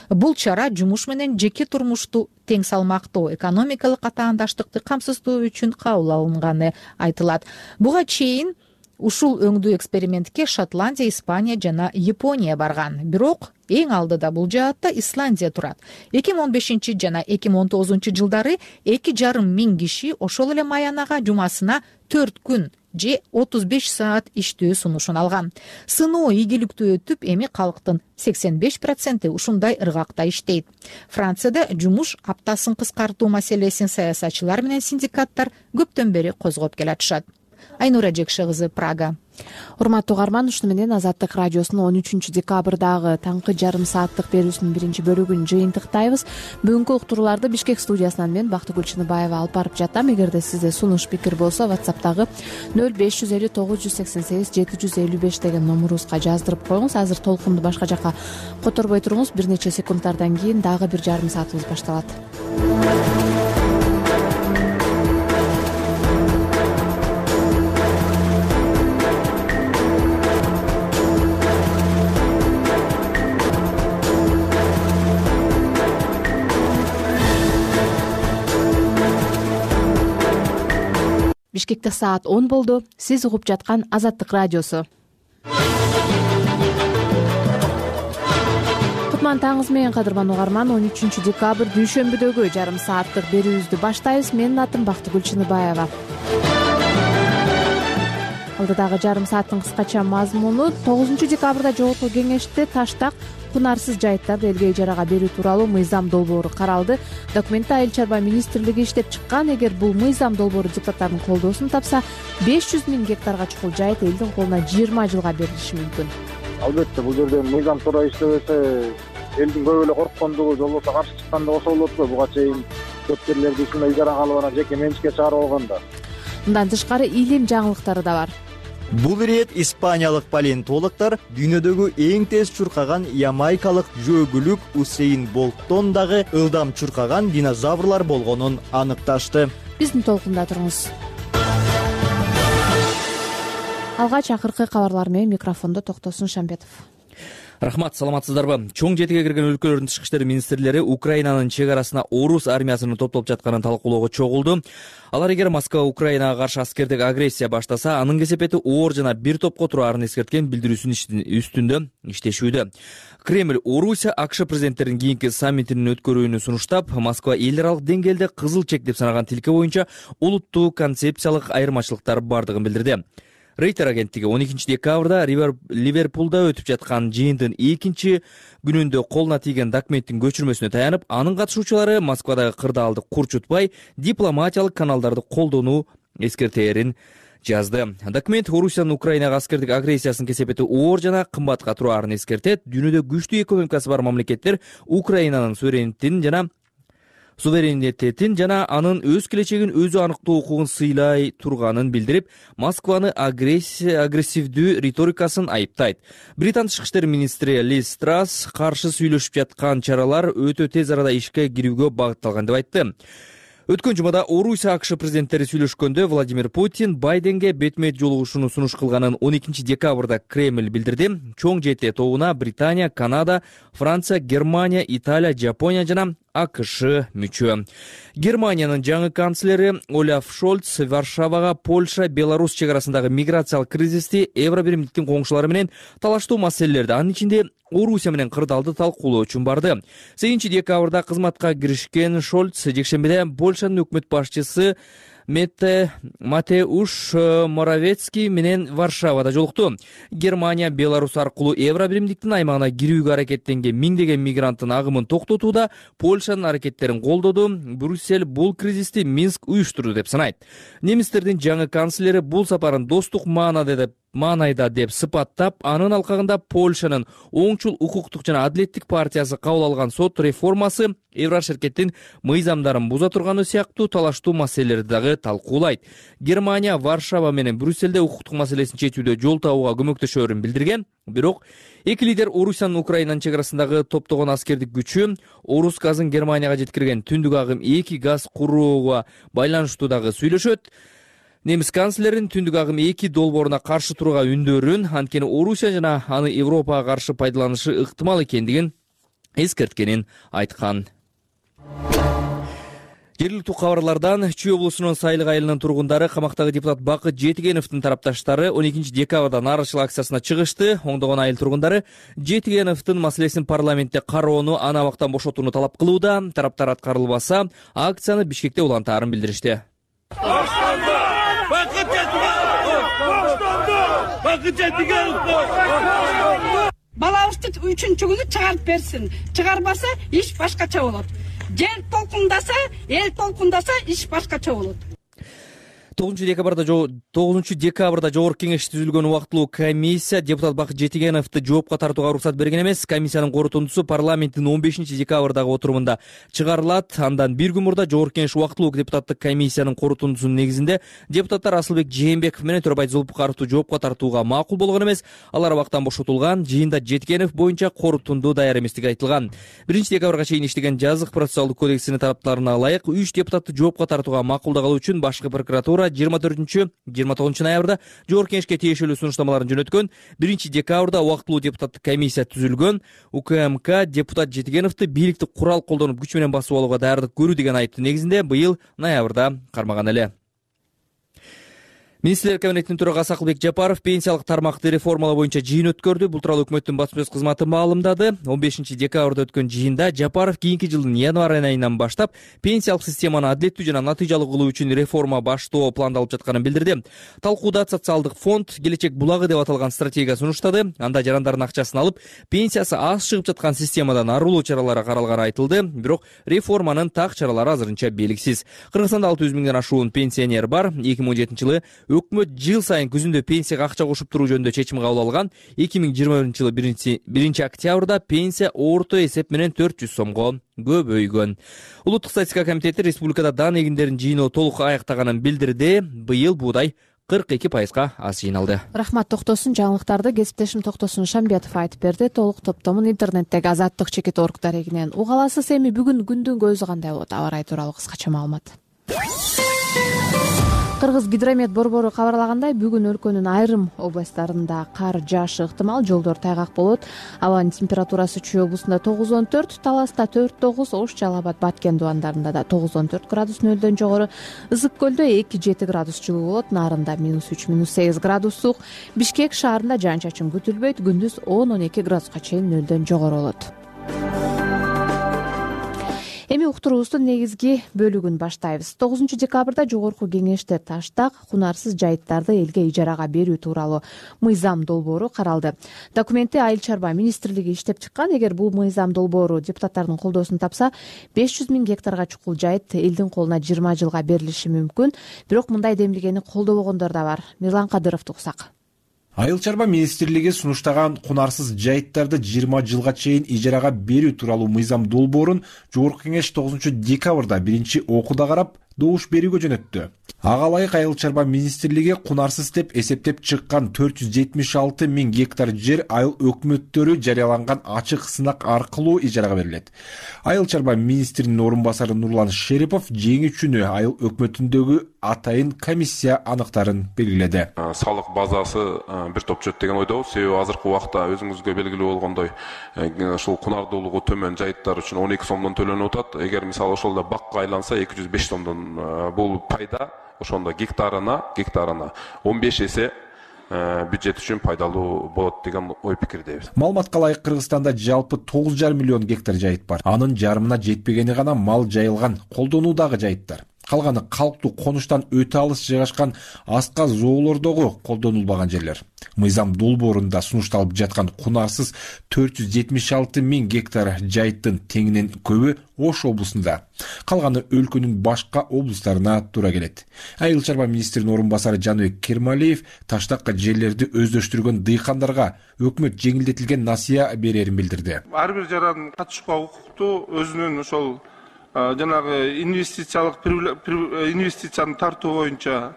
Бул чара жумуш менен жеке турмушту тең салмактуу экономикалык атаандаштыкты камсыздоо үчүн кабыл алынганы айтылат. Буга чейин ушул өңдүү экспериментке Шотландия, Испания жана Япония барган. Бирок эң алдыда бул жаатта Исландия турат. 2015 жана 2019 жылдары 2,5 миң киши ошол эле маянага жумасына 4 күн же 35 саат иштөө сунушун алган. Сыноо ийгиликтүү өтүп, эми калктын 85% ушундай ыргакта иштейт. Францияда жумуш аптасын кыскартуу маселесин саясатчылар менен синдикаттар көптөн бери козгоп келатышат. Айнура Жекше кызы, Прага. Урматтуу угарман, ушуну менен Азаттык радиосунун 13 декабрдагы таңкы жарым сааттык берүүсүнүн биринчи бөлүгүн жыйынтыктайбыз. Бүгүнкү уктурууларды Бишкек студиясынан мен Бактыгүл Чыныбаева алып барып жатам. Эгерде сизде сунуш пикир болсо, WhatsApp'тагы 0550 988 755 деген номурубузга жаздырып коюңуз. Азыр толкунду башка жака которбой туруңуз. Бир нече секундтардан кийин дагы бир жарым саатыбыз башталат. Бишкекте саат 10 болду. Сиз угуп жаткан Азаттык радиосу. Кутман таңыңыз менен, кадырман угарман. 13 декабрь дүйшөмбүдөгү жарым сааттык берүүбүздү баштайбыз. Менин атым Бактыгүл Чыныбаева. Алдыдагы жарым сааттын кыскача мазмуну 9 декабрда жогорку кеңеште таштак кунарсыз жайыттарды элге ижарага берүү тууралуу мыйзам долбоору каралды. Документти Айыл чарба министрлиги иштеп чыккан. Эгер бул мыйзам долбоору депутаттардын колдоосун тапса, 500 000 гектарга чукул жайыт элдин колуна 20 жылга берилиши мүмкүн. Албетте, бул жерде мыйзам туура иштебесе, элдин көп эле корккондугу, же болбосо каршы чыккандыгы ошол болот го. Буга чейин көп жерлерди ушундай ижарага алып анан жеке менчикке чыгарып алганда. Мындан тышкары илим жаңылыктары да бар. Бул ирет испаниялык палеонтологдор дүйнөдөгү эң тез чуркаган ямайкалык жөөгүлүк Усейн Болттон дагы ылдам чуркаган динозаврлар болгонун аныкташты. Биздин толкунда туруңуз. Алгач акыркы кабарлар менен микрофондо Токтосун Шамбетов. Рахмат, саламатсыздарбы? Чоң жетиге кирген өлкөлөрдүн тышкы иштер министрлери Украинанын чек арасына орус армиясынын топтолуп жатканын талкуулоого чогулду. Алар эгер Москва Украинага каршы аскердик агрессия баштаса, анын кесепети оор жана бир топко тураарын эскерткен билдирүүсүнүн үстүндө иштешүүдө. Кремль Орусия АКШ президенттеринин кийинки саммитинин өткөрүүнү сунуштап, Москва эл аралык деңгээлде кызыл чек деп санаган тилке боюнча улуттуу концепциялык айырмачылыктар бардыгын билдирди. Рейтер агенттиги 12 декабрда Ливерпулда өтүп жаткан жыйындын экинчи күнүндө колуна тийген документтин көчүрмөсүнө таянып, анын катышуучулары Москвадагы кырдаалды курчутпай, дипломатиялык каналдарды колдонуу эскертерин жазды. Документ Орусиянын Украинага аскердик агрессиясынын кесепети оор жана кымбатка тураарын эскертет. Дүйнөдө күчтүү экономикасы бар мамлекеттер Украинанын суверенитетин жана анын өз келечегин өзү аныктоо укугун сыйлай турганын билдирип, Москваны агрессивдүү риторикасын айыптайт. Британ тышкы иштер министри Лиз Трасс каршы сүйлөшүп жаткан чаралар өтө тез арада ишке кирүүгө багытталган деп айтты. Өткөн жумада Орусия АКШ президенттери сүйлөшкөндө Владимир Путин Байденге бетме-бет жолугушууну сунуш кылганын 12 декабрда Кремль билдирди. Чоң жети тобуна Британия, Канада, Франция, Германия, Италия, Жапония жана АКШ мүчө. Германиянын жаңы канцлери Олаф Шольц Варшавага Польша, Беларусь чек арасындагы миграциялык кризисти, Евробиримдиктин коңшулары менен талаштуу маселелерди, анын ичинде Орусия менен кырдаалды талкуулоо үчүн барды. 8 декабрда кызматка киришкен Шольц жекшембиде Польшанын өкмөт башчысы Матеуш Моровецкий менен Варшавада жолукту. Германия Беларусь аркылуу Евробиримдиктин аймагына кирүүгө аракеттенген миңдеген мигранттын агымын токтотууда Польшанын аракеттерин колдоду. Брюссель бул кризисти Минск уюштурду деп санайт. Немистердин жаңы канцлери бул сапарын достук маанайда деп сыпаттап, анын алкагында Польшанын оңчул укуктук жана адилеттик партиясы кабыл алган сот реформасы Еврошеркеттин мыйзамдарын буза турганы сыяктуу талаштуу маселелерди дагы талкуулайт. Германия Варшава менен Брюссельде укуктук маселесин чечүүдө жол табууга көмөктөшөөрүн билдирген. Бирок эки лидер Орусиянын Украинанын чек арасындагы топтогон аскердик күчү, Орус газын Германияга жеткирген түндүк агым 2 газ курууга байланыштуу дагы сүйлөшөт. Немис канцлерин түндүк агым 2 долбооруна каршы турууга үндөрүн, анткени Орусия жана аны Европага каршы пайдаланышы ыктымал экендигин эскерткенин айткан. Жергиликтүү кабарлардан Чүй облусунун Сайлык айылынын тургундары камактагы депутат Бакыт Жетигеновдун тарапташтары 12 декабрда нарышыл акциясына чыгышты. Оңдогон айыл тургундары Жетигеновдун маселесин парламентте кароону, аны абактан бошотууну талап кылууда. Тараптар аткарылбаса, акцияны Бишкекте улантаарын билдиришти. Балабызды 3-күнү чыгарып берсин. Чыгарбаса иш башкача болот. Жер толкундаса, эл толкундаса иш башкача болот. 9 декабрда Жогорку Кеңеш түзүлгөн убактылуу комиссия депутат Бакыт Жетигеновду жоопко тартууга уруксат берген эмес. Комиссиянын корутундусу парламенттин 15 декабрдагы отурумунда чыгарылат. Андан бир күн мурда Жогорку Кеңеш убактылуу депутаттык комиссиянын корутундусунун негизинде депутаттар Асылбек Жээнбеков менен Төрөбай Зулпукаровду жоопко тартууга макул болгон эмес. Алар абактан бошотулган. Жыйында Жетигенов боюнча корутунду даяр эместиги айтылган. 1 декабрга чейин иштеген жазык процессуалдык кодексинин тараптарына ылайык 3 депутатты жоопко тартууга макулдагалы үчүн башкы прокуратура 24-29 ноябрда Жогорку Кеңешке тиешелүү сунуштамаларын жөнөткөн. 1 декабрда убактылуу депутаттык комиссия түзүлгөн. УКМК депутат Жетигеновду бийликти курал колдонуп күч менен басып алууга даярдык көрүү деген айыптын негизинде быйыл ноябрда кармаган эле. Министрлер кабинетинин төрагасы Акылбек Жапаров пенсиялык тармакты реформалоо боюнча жыйын өткөрдү. Бул тууралуу өкмөттүн басма сөз кызматы маалымдады. 15 декабрда өткөн жыйында Жапаров кийинки жылдын январь айынан баштап пенсиялык системаны адилеттүү жана натыйжалуу кылуу үчүн реформа баштоо пландалып жатканын билдирди. Талкууда социалдык фонд келечек булагы деп аталган стратегия сунуштады. Анда жарандардын акчасын алып, пенсиясы аз чыгып жаткан системадан арылуу чаралары каралганы айтылды. Бирок реформанын так чаралары азырынча белгисиз. Кыргызстанда 600 миңден ашуун пенсионер бар. 2017-жылы өкмөт жыл сайын күзүндө пенсияга акча кошуп туруу жөнүндө чечим кабыл алган. 2021-жылы 1 октябрда пенсия орто эсеп менен 400 сомго көбөйгөн. Улуттук статистика комитети республикада дан эгиндерин жыйноо толук аяктаганын билдирди. Быйыл буудай 42%га аз жыйналды. Рахмат Токтосун. Жаңылыктарды кесиптешим Токтосун Шамбетов айтып берди. Толук топтомун интернеттеги Азаттык чекит орг дарегинен уга аласыз. Эми бүгүн күндүн көзү кандай болот? Аба ырайы тууралуу кыскача маалымат. Кыргыз гидромет борбору кабарлагандай, бүгүн өлкөнүн айрым областтарында кар жаашы ыктымал, жолдор тайгак болот. Абанын температурасы Чүй облусунда 9-14, Таласта 4-9, Ош, Жалал Абад, Баткен дубандарында да 9-14 градус нөлдөн жогору. Ысык көлдө 2-7 градус жылуу болот, Нарында -3, -8 градус суук. Бишкек шаарында жаан чачын күтүлбөйт, күндүз 10-12 градуска чейин нөлдөн жогору болот. Эми уктуруубуздун негизги бөлүгүн баштайбыз. 9 декабрда Жогорку Кеңеште Таштак кунарсыз жайыттарды элге ижарага берүү тууралуу мыйзам долбоору каралды. Документти Айыл чарба министрлиги иштеп чыккан. Эгер бул мыйзам долбоору депутаттардын колдоосун тапса, 500 миң гектарга чукул жайыт элдин колуна 20 жылга берилиши мүмкүн. Бирок мындай демилгени колдобогондор да бар. Мирлан Кадыровду уксак. Айыл чарба министрлиги сунуштаган кунарсыз жайыттарды 20 жылга чейин ижарага берүү тууралуу мыйзам долбоорун Жогорку Кеңеш 9 декабрда биринчи окууда карап, добуш берүүгө жөнөттү. Ага ылайык Айыл чарба министрлиги кунарсыз деп эсептеп чыккан 476 миң гектар жер айыл өкмөттөрү жарыяланган ачык сынак аркылуу ижарага берилет. Айыл чарба министринин орун басары Нурлан Шерипов жеңүүчүнү айыл өкмөтүндөгү атайын комиссия аныктарын белгиледи. Салык базасы бир топчот деген ойдобуз. Себеби азыркы убакта өзүңүзгө белгилүү болгондой, ушул кунардуулугу төмөн жайыттар үчүн 12 сомдон төлөнүп атат. Эгер мисалы ошолдо бакка айланса 205 сомдон бул пайда ошондо гектарына 15 эсе бюджет үчүн пайдалуу болот деген ой пикирдебиз. Маалыматка ылайык Кыргызстанда жалпы 9,5 миллион гектар жайыт бар. Анын жарымына жетпегени гана мал жайылган, колдонуудагы жайыттар. Калганы калктуу конуштан өтө алыс жайгашкан аска зоолордогу колдонулбаган жерлер. Мыйзам долбоорунда сунушталып жаткан кунарсыз 476 миң гектар жайыттын теңинен көбү Ош облусунда. Калганы өлкөнүн башка облустарына туура келет. Айыл чарба министринин орун басары Жаныбек Кермалиев Таштакка жерлерди өздөштүргөн дыйкандарга өкмөт жеңилдетилген насыя берерин билдирди. Ар бир жаран катышууга укуктуу, өзүнүн ошол жанагы инвестицияны тартуу боюнча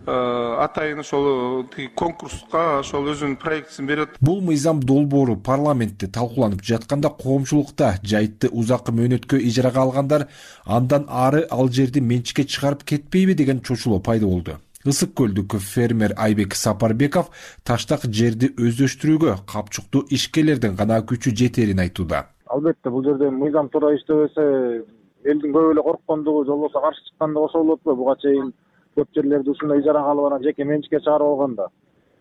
атайын ошол конкурска ошол өзүнүн проектисин берет. Бул мыйзам долбоору парламентте талкууланып жатканда коомчулукта жайытты узаккы мөөнөткө ижарага алгандар андан ары ал жерди менчикке чыгарып кетпейби деген чочулоо пайда болду. Ысык көлдүк фермер Айбек Сапарбеков Таштак жерди өздөштүрүүгө капчуктуу ишкерлердин гана күчү жетерин айтууда. Албетте бул жерде мыйзам туура иштебесе элдин көп эле корккондугу, же болбосо каршы чыккандыгы ошол болотпу? Буга чейин көп жерлерди ушундай ижарага алып анан жеке менчикке чыгарып алганда,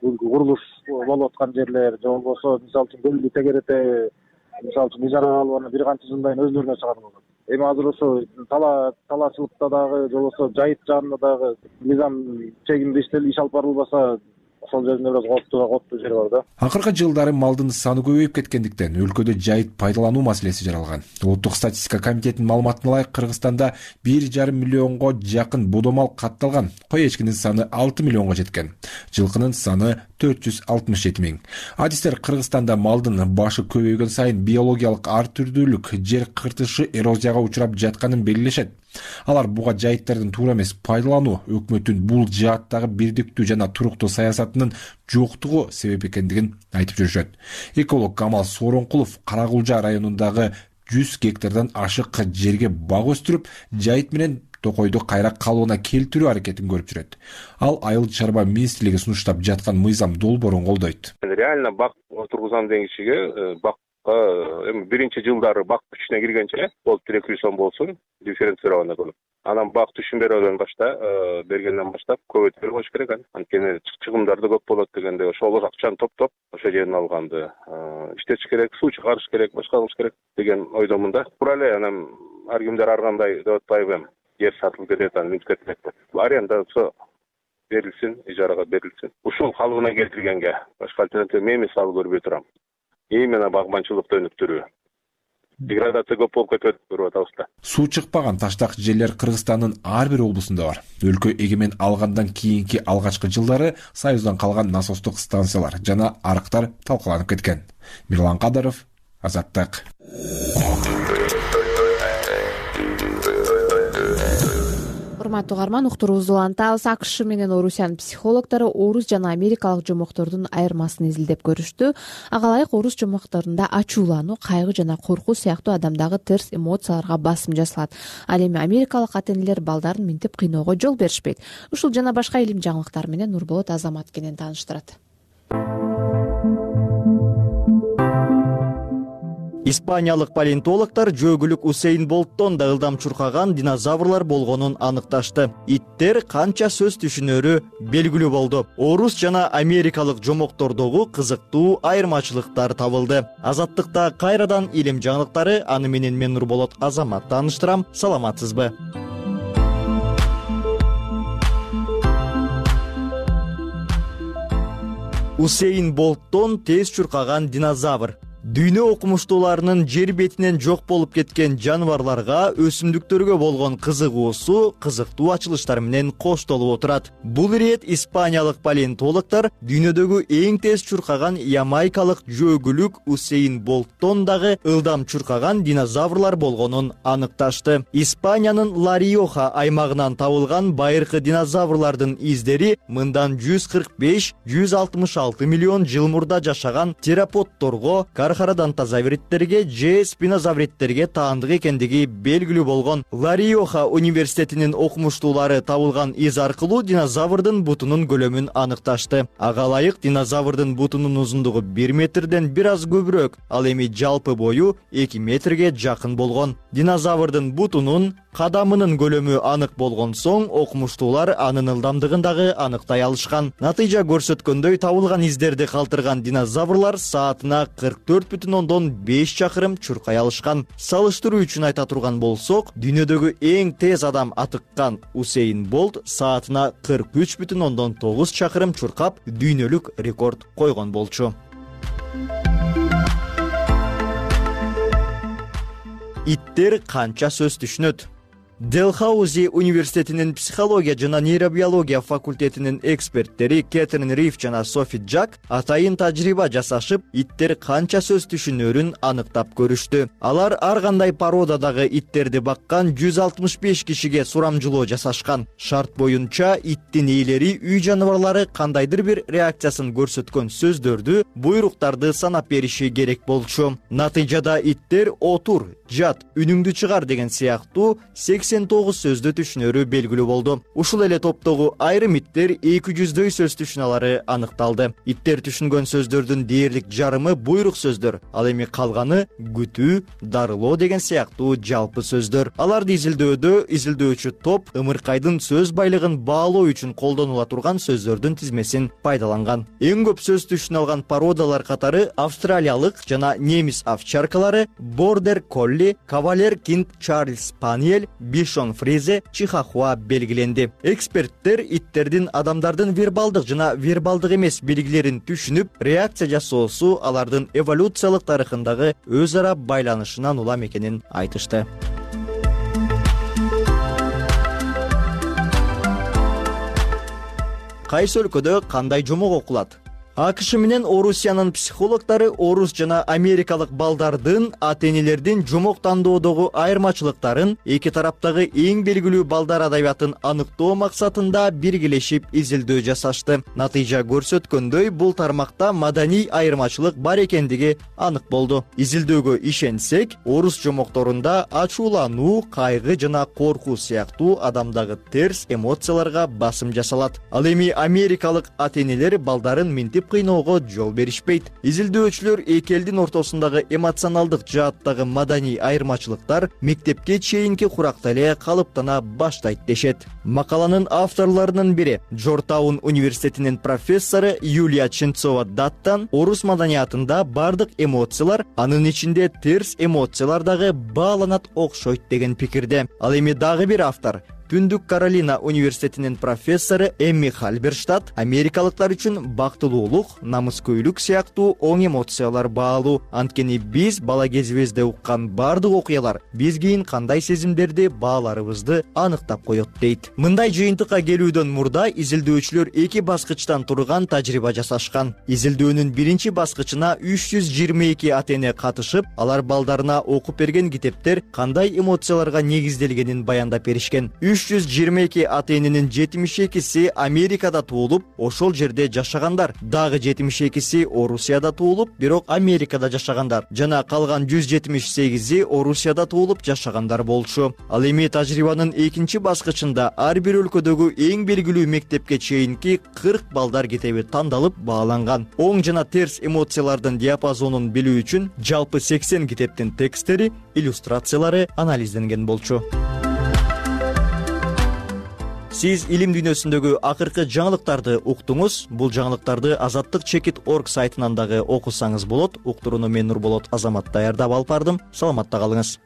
бул курулуш болуп аткан жерлер, же болбосо мисалы үчүн көлдү тегерете мисалы үчүн ижарага алып анан бир канча жылдан кийин өзүлөрүнө чыгарып алат. эми азыр ошо талаачылыкта дагы же болбосо жайыт жаатында дагы мыйзам чегинде иш алып барылбаса ошол жеринде бир аз кооптуу жери бар да. Акыркы жылдары малдын саны көбөйүп кеткендиктен өлкөдө жайыт пайдалануу маселеси жаралган. Улуттук статистика комитетинин маалыматына ылайык Кыргызстанда 1,5 миллионго жакын бодомал катталган. Кой эчкинин саны 6 миллионго жеткен. Жылкынын саны 467 миң. Адистер Кыргызстанда малдын башы көбөйгөн сайын биологиялык ар түрдүүлүк, жер кыртышы, эрозияга учурап жатканын белгилешет. Алар буга жайыттардын туура эмес пайдалануу өкмөттүн бул жааттагы бирдиктүү жана туруктуу саясатынын жоктугу себеп экендигин айтып жүрүшөт. Эколог Камал Сооронкулов Каракулжа районундагы 100 гектардан ашык жерге бак өстүрүп, жайыт менен токойду кайра калыбына келтирүү аракетин көрүп жүрөт. Ал Айыл чарба министрлиги сунуштап жаткан мыйзам долбоорун колдойт. Реально бак отургузам деген кишиге эми биринчи жылдары бак күчүнө киргенче болуп 200 сом болсун, дифференцировано болуп. Анан бак түшүн бергенден баштап көбөйтүп коюш керек. Анткени чыгымдар да көп болот дегенде ошол акчаны топтоп ошол жерден алганды иштетиш керек, суу чыгарыш керек, башка кылыш керек деген ойдомун да. Туура эле анан ар кимдер ар кандай деп атпайбы, жер сатылып кетет, анан мүнөт кетет. Арендасы берилсин, ижарага берилсин. Ушул калыбына келтиргенге башка альтернатива мен мисалы көрбөй турам. Именно багбанчылыкты өнүктүрүү. Деградация көп болуп кетет, көрүп атабыз да. Суу чыкпаган таштак жерлер Кыргызстандын ар бир облусунда бар. Өлкө эгемен алгандан кийинки алгачкы жылдары Союздан калган насостук станциялар жана арыктар талкаланып кеткен. Мирлан Кадыров, Азаттык. Урматтуу угарман, уктуруубузду улантабыз. АКШ менен Орусиянын психологдору орус жана америкалык жомоктордун айырмасын изилдеп көрүштү. Ага ылайык орус жомокторунда ачуулануу, кайгы жана коркуу сыяктуу адамдагы терс эмоцияларга басым жасалат. Ал эми америкалык ата-энелер балдарын минтип кыйноого жол беришпейт. Ушул жана башка илим жаңылыктар менен Нурболот Азамат кенен тааныштырат. Испаниялык палеонтологдор жөөгүлүк Усейн Болттон да ылдам чуркаган динозаврлар болгонун аныкташты. Иттер канча сөз түшүнөрү белгилүү болду. Орус жана америкалык жомоктордогу кызыктуу айырмачылыктар табылды. Азаттыкта кайрадан илим жаңылыктары, аны менен мен Нурболот Азамат тааныштырам. Саламатсызбы? Усейн Болттон тез чуркаган динозавр. Дүйнө окумуштууларынын жер бетинен жок болуп кеткен жаныбарларга, өсүмдүктөргө болгон кызыгуусу кызыктуу ачылыштар менен коштолуп отурат. Бул ирет испаниялык палеонтологдор дүйнөдөгү эң тез чуркаган ямайкалык жөөгүлүк Усейн Болттон дагы ылдам чуркаган динозаврлар болгонун аныкташты. Испаниянын Ла-Риоха аймагынан табылган байыркы динозаврлардын издери мындан 145-166 миллион жыл мурда жашаган тераподторго, кархарадонтозавриттерге же спинозавриттерге таандык экендиги белгилүү болгон. Ла-Риоха университетинин окумуштуулары табылган из аркылуу динозаврдын бутунун көлөмүн аныкташты. Ага ылайык динозаврдын бутунун узундугу 1 метрден бир аз көбүрөөк, ал эми жалпы бою 2 метрге жакын болгон. Динозаврдын бутунун кадамынын көлөмү анык болгон соң, окумуштуулар анын ылдамдыгын дагы аныктай алышкан. Натыйжа көрсөткөндөй, табылган издерди калтырган динозаврлар саатына 44,5 чакырым чуркай алышкан. Салыштыруу үчүн айта турган болсок, дүйнөдөгү эң тез адам атыккан Усейн Болт саатына 43,9 чакырым чуркап, дүйнөлүк рекорд койгон болчу. Иттер канча сөз түшүнөт? Делхаузи университетинин психология жана нейробиология факультетинин эксперттери Кэтрин Риф жана Софи Джак атайын тажрыйба жасашып, иттер канча сөз түшүнөрүн аныктап көрүштү. Алар ар кандай породадагы иттерди баккан 165 кишиге сурамжылоо жасашкан. Шарт боюнча иттин ээлери үй жаныбарлары кандайдыр бир реакциясын көрсөткөн сөздөрдү, буйруктарды санап бериши керек болчу. Натыйжада иттер отур, жат, үнүңдү чыгар деген сыяктуу 80 89 сөздү түшүнөрү белгилүү болду. Ушул эле топтогу айрым иттер 200дөй сөз түшүналары аныкталды. Иттер түшүнгөн сөздөрдүн дээрлик жарымы буйрук сөздөр, ал эми калганы күтүү, дарылоо деген сыяктуу жалпы сөздөр. Аларды изилдөөчү топ ымыркайдын сөз байлыгын баалоо үчүн колдонула турган сөздөрдүн тизмесин пайдаланган. Эң көп сөз түшүнө породалар катары австралиялык жана немис овчаркалары, бордер колли, кавалер кинт чарльз спаниель, бишон фризе, чихахуа белгиленди. Эксперттер иттердин адамдардын вербалдык жана вербалдык эмес белгилерин түшүнүп, реакция жасоосу алардын эволюциялык тарыхындагы өз ара байланышынан улам экенин айтышты. Кайсы өлкөдө кандай жомок окулат? АКШ менен Орусиянын психологдору орус жана америкалык балдардын ата-энелердин жомок тандоодогу айырмачылыктарын, эки тараптагы эң белгилүү балдар адабиятын аныктоо максатында биргелешип изилдөө жасашты. Натыйжа көрсөткөндөй, бул тармакта маданий айырмачылык бар экендиги анык болду. Изилдөөгө ишенсек, орус жомокторунда ачуулануу, кайгы жана коркуу сыяктуу адамдагы терс эмоцияларга басым жасалат. Ал эми америкалык ата-энелер балдарын минтип кыйноого жол беришпейт. Изилдөөчүлөр эки элдин ортосундагы эмоционалдык жааттагы маданий айырмачылыктар мектепке чейинки куракта эле калыптана баштайт дешет. Макаланын авторлорунун бири Джорджтаун университетинин профессору Юлия Ченцова-Даттан орус маданиятында бардык эмоциялар, анын ичинде терс эмоциялар дагы бааланат окшойт деген пикирде. Ал эми дагы бир автор Түндүк Каролина университетинин профессору Эмми Хальберштадт америкалыктар үчүн бактылуулук, намыскөйлүк сыяктуу оң эмоциялар баалуу. Анткени биз бала кезибизде уккан бардык окуялар биз кийин кандай сезимдерди бааларыбызды аныктап коет дейт. Мындай жыйынтыкка келүүдөн мурда изилдөөчүлөр эки баскычтан турган тажрыйба жасашкан. Изилдөөнүн биринчи баскычына 322 ата-эне катышып, алар балдарына окуп берген китептер кандай эмоцияларга негизделгенин баяндап беришкен. 322 ата-эненин 72си Америкада туулуп, ошол жерде жашагандар. Дагы 72си Орусияда туулуп, бирок Америкада жашагандар. Жана калган 178и Орусияда туулуп жашагандар болчу. Ал эми тажрыйбанын экинчи баскычында ар бир өлкөдөгү эң белгилүү мектепке чейинки 40 балдар китеби тандалып бааланган. Оң жана терс эмоциялардын диапазонун билүү үчүн жалпы 80 китептин тексттери, иллюстрациялары анализденген болчу. Сиз илим дүйнөсүндөгү акыркы жаңылыктарды уктуңуз. Бул жаңылыктарды azattik.org сайтынан дагы окусаңыз болот. Уктурууну мен Нурболот Азамат даярдап алып бардым. Саламатта калыңыз.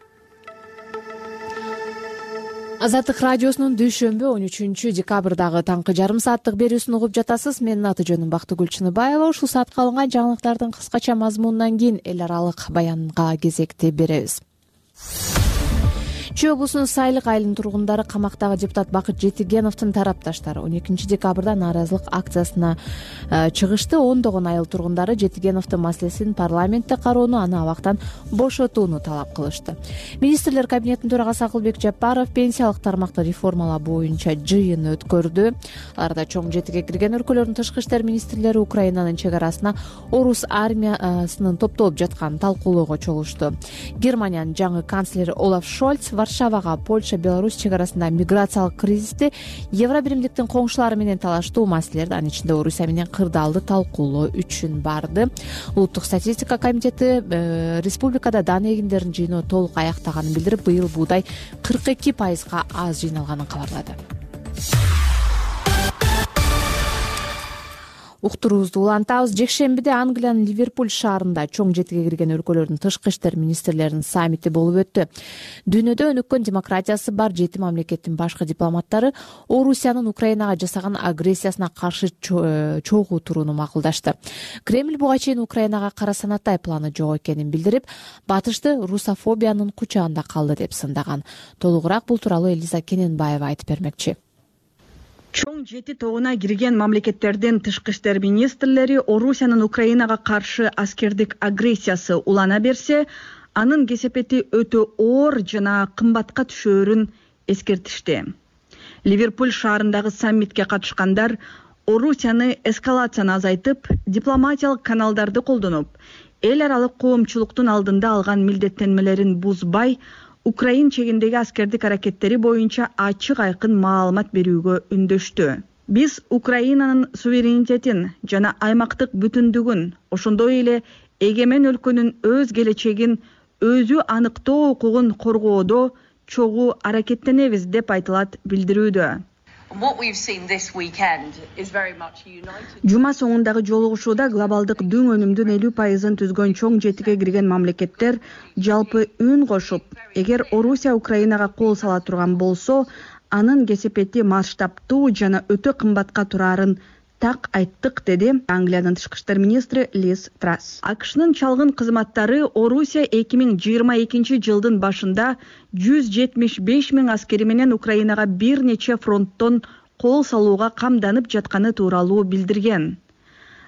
Азаттык радиосунун дүйшөмбү 13 декабрдагы таңкы жарым сааттык берүүсүн угуп жатасыз. Менин аты жөнүм Бактыгүл Чыныбаева. Ушул саатка алынган жаңылыктардын кыскача мазмунунан кийин эл аралык баянга кезекти беребиз. Чүй облусунун Сайлык айылынын тургундары камактагы депутат Бакыт Жетигеновдун тарапташтары 12 декабрда нааразылык акциясына чыгышты. Ондогон айыл тургундары Жетигеновдун маселесин парламентте кароону, аны абактан бошотууну талап кылышты. Министрлер кабинетинин төрагасы Акылбек Жапаров пенсиялык тармакты реформалоо боюнча жыйын өткөрдү. Аларда чоң жетиге кирген өлкөлөрдүн тышкы иштер министрлери Украинанын чек арасына орус армиясынын топтолуп жатканын талкуулоого чогулушту. Германиянын жаңы канцлери Олаф Шольц Варшавага Польша, Беларусь чек арасында миграциялык кризисти, Евробиримдиктин коңшулары менен талаштуу маселелерди, анын ичинде Орусия менен кырдаалды талкуулоо үчүн барды. Улуттук статистика комитети республикада дан эгиндерин жыйноо толук аяктаганын билдирип, быйыл буудай 42% аз жыйналганын кабарлады. Уктуруубузду улантабыз. Жекшембиде Англиянын Ливерпуль шаарында чоң жетиге кирген өлкөлөрдүн тышкы иштер министрлеринин саммити болуп өттү. Дүйнөдө өнүккөн демократиясы бар 7 мамлекеттин башкы дипломаттары Орусиянын Украинага жасаган агрессиясына каршы чогуу турууну макулдашты. Кремль буга чейин Украинага кара санатай планы жок экенин билдирип, батышты русофобиянын кучагында калды деп сындаган. Толугураак бул тууралуу Элиза Кененбаева айтып бермекчи. Чоң 7 тобуна кирген мамлекеттердин тышкы иштер министрлери Орусиянын Украинага каршы аскердик агрессиясы улана берсе, анын кесепети өтө оор жана кымбатка түшөөрүн эскертишти. Ливерпуль шаарындагы саммитке катышкандар Орусияны эскалацияны азайтып, дипломатиялык каналдарды колдонуп, эл аралык коомчулуктун алдында алган милдеттенмелерин бузбай, Украин чегиндеги аскердик аракеттери боюнча ачык айкын маалымат берүүгө үндөштү. Биз Украинанын суверенитетин жана аймактык бүтүндүгүн, ошондой эле эгемен өлкөнүн өз келечегин өзү аныктоо укугун коргоодо чогуу аракеттенебиз деп айтылат билдирүүдө. Жума соңундагы жолугушууда глобалдык дүң өнүмдүн 50% түзгөн чоң жетиге кирген мамлекеттер жалпы үн кошуп, эгер Орусия Украинага кол сала турган болсо, анын кесепети масштабтуу жана өтө кымбатка турарын так айттык, деди Англиянын тышкы иштер министри Лиз Трасс. АКШнын чалгын кызматтары Орусия 2022 жылдын башында 175 000 аскери менен Украинага бир нече фронттон кол салууга камданып жатканы тууралуу билдирген.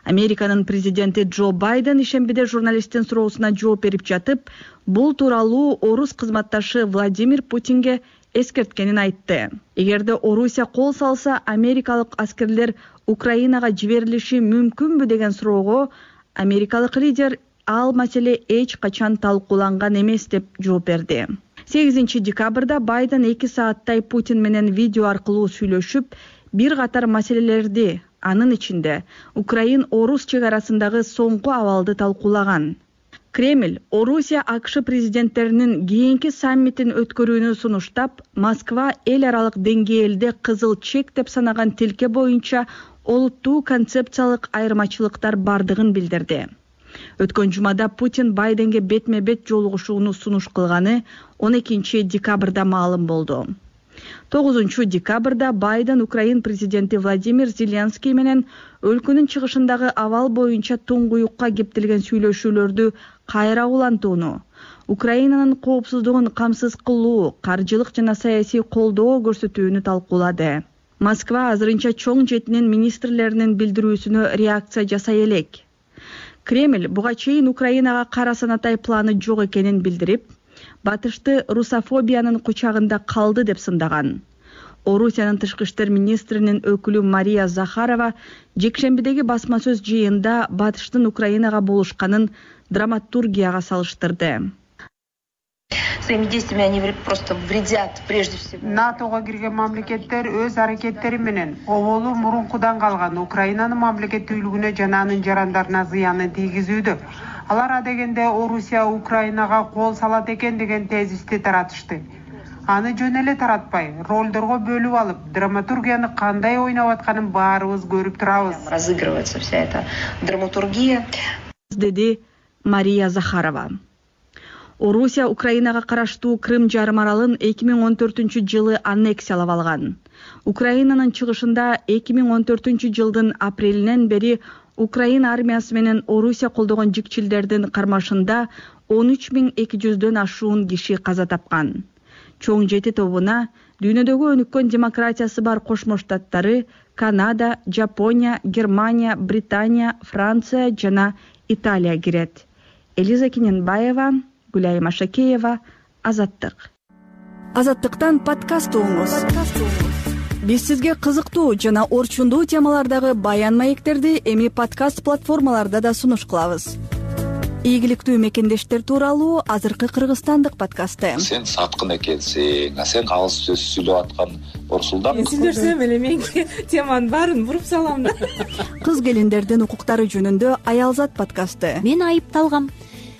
Американын президенти Джо Байден ишембиде журналисттин суроосуна жооп берип жатып, бул тууралуу орус кызматташы Владимир Путинге эскерткенин айтты. Эгерде Орусия кол салса, америкалык аскерлер Украинага жиберилиши мүмкүнбү деген суроого америкалык лидер ал маселе эч качан талкууланган эмес деп жооп берди. 8 декабрда Байден 2 сааттай Путин менен видео аркылуу сүйлөшүп, бир катар маселелерди, анын ичинде Украин-Орус чек арасындагы соңку абалды талкуулаган. Кремль Орусия АКШ президенттеринин кийинки саммитин өткөрүүнү сунуштап, Москва эл аралык деңгээлде кызыл чек деп санаган тилке боюнча олуттуу концепциялык айырмачылыктар бардыгын билдирди. Өткөн жумада Путин Байденге бетме-бет жолугушууну сунуш кылганы 12 декабрда маалым болду. 9 декабрда Байден Украин президенти Владимир Зеленский менен өлкөнүн чыгышындагы абал боюнча туңгуюкка кептелген сүйлөшүүлөрдү кайра улантууну, Украинанын коопсуздугун камсыз кылуу, каржылык жана саясий колдоо көрсөтүүнү талкуулады. Москва азырынча чоң жетинин министрлеринин билдирүүсүнө реакция жасай элек. Кремль буга чейин Украинага кара санатай планы жок экенин билдирип, батышты русофобиянын кучагында калды деп сындаган. Орусиянын тышкы иштер министринин өкүлү Мария Захарова жекшембидеги басма сөз жыйында батыштын Украинага болушканын драматургияга салыштырды. Своими действиями они просто вредят прежде всего. НАТОго кирген мамлекеттер өз аракеттери менен оболу мурункудан калган Украинанын мамлекеттүүлүгүнө жана анын жарандарына зыянын тийгизүүдө. Алар адегенде Орусия Украинага кол салат экен деген тезисти таратышты. Аны жөн эле таратпай, ролдорго бөлүп алып, драматургияны кандай ойноп атканын баарыбыз көрүп турабыз. Разыгрывается вся эта драматургия, деди Мария Захарова. Орусия Украинага караштуу Крым жарым аралын 2014 жылы аннексиялап алган. Украинанын чыгышында 2014 жылдын апрелинен бери Украин армиясы менен Орусия колдогон жикчилдердин кармашында 13.200дөн ашуун киши каза тапкан. Чоң жети тобуна дүйнөдөгү өнүккөн демократиясы бар Кошмо Штаттары, Канада, Жапония, Германия, Британия, Франция жана Италия кирет. Элиза Кененбаева, Гүлай Машакеева, Азаттык. Азаттыктан подкаст угуңуз. Биз сизге кызыктуу жана орчундуу темалардагы баян маектерди эми подкаст платформаларда да сунуш кылабыз. Ийгиликтүү мекендештер тууралуу азыркы кыргызстандык подкасты. Сен саткын экенсиң, сен калыс сөз сүйлөп аткан Орсулдан. Сүйлөшсөм эле мен теманын баарын буруп салам да. Кыз келиндердин укуктары жөнүндө Аялзат подкасты. Мен айыпталгам.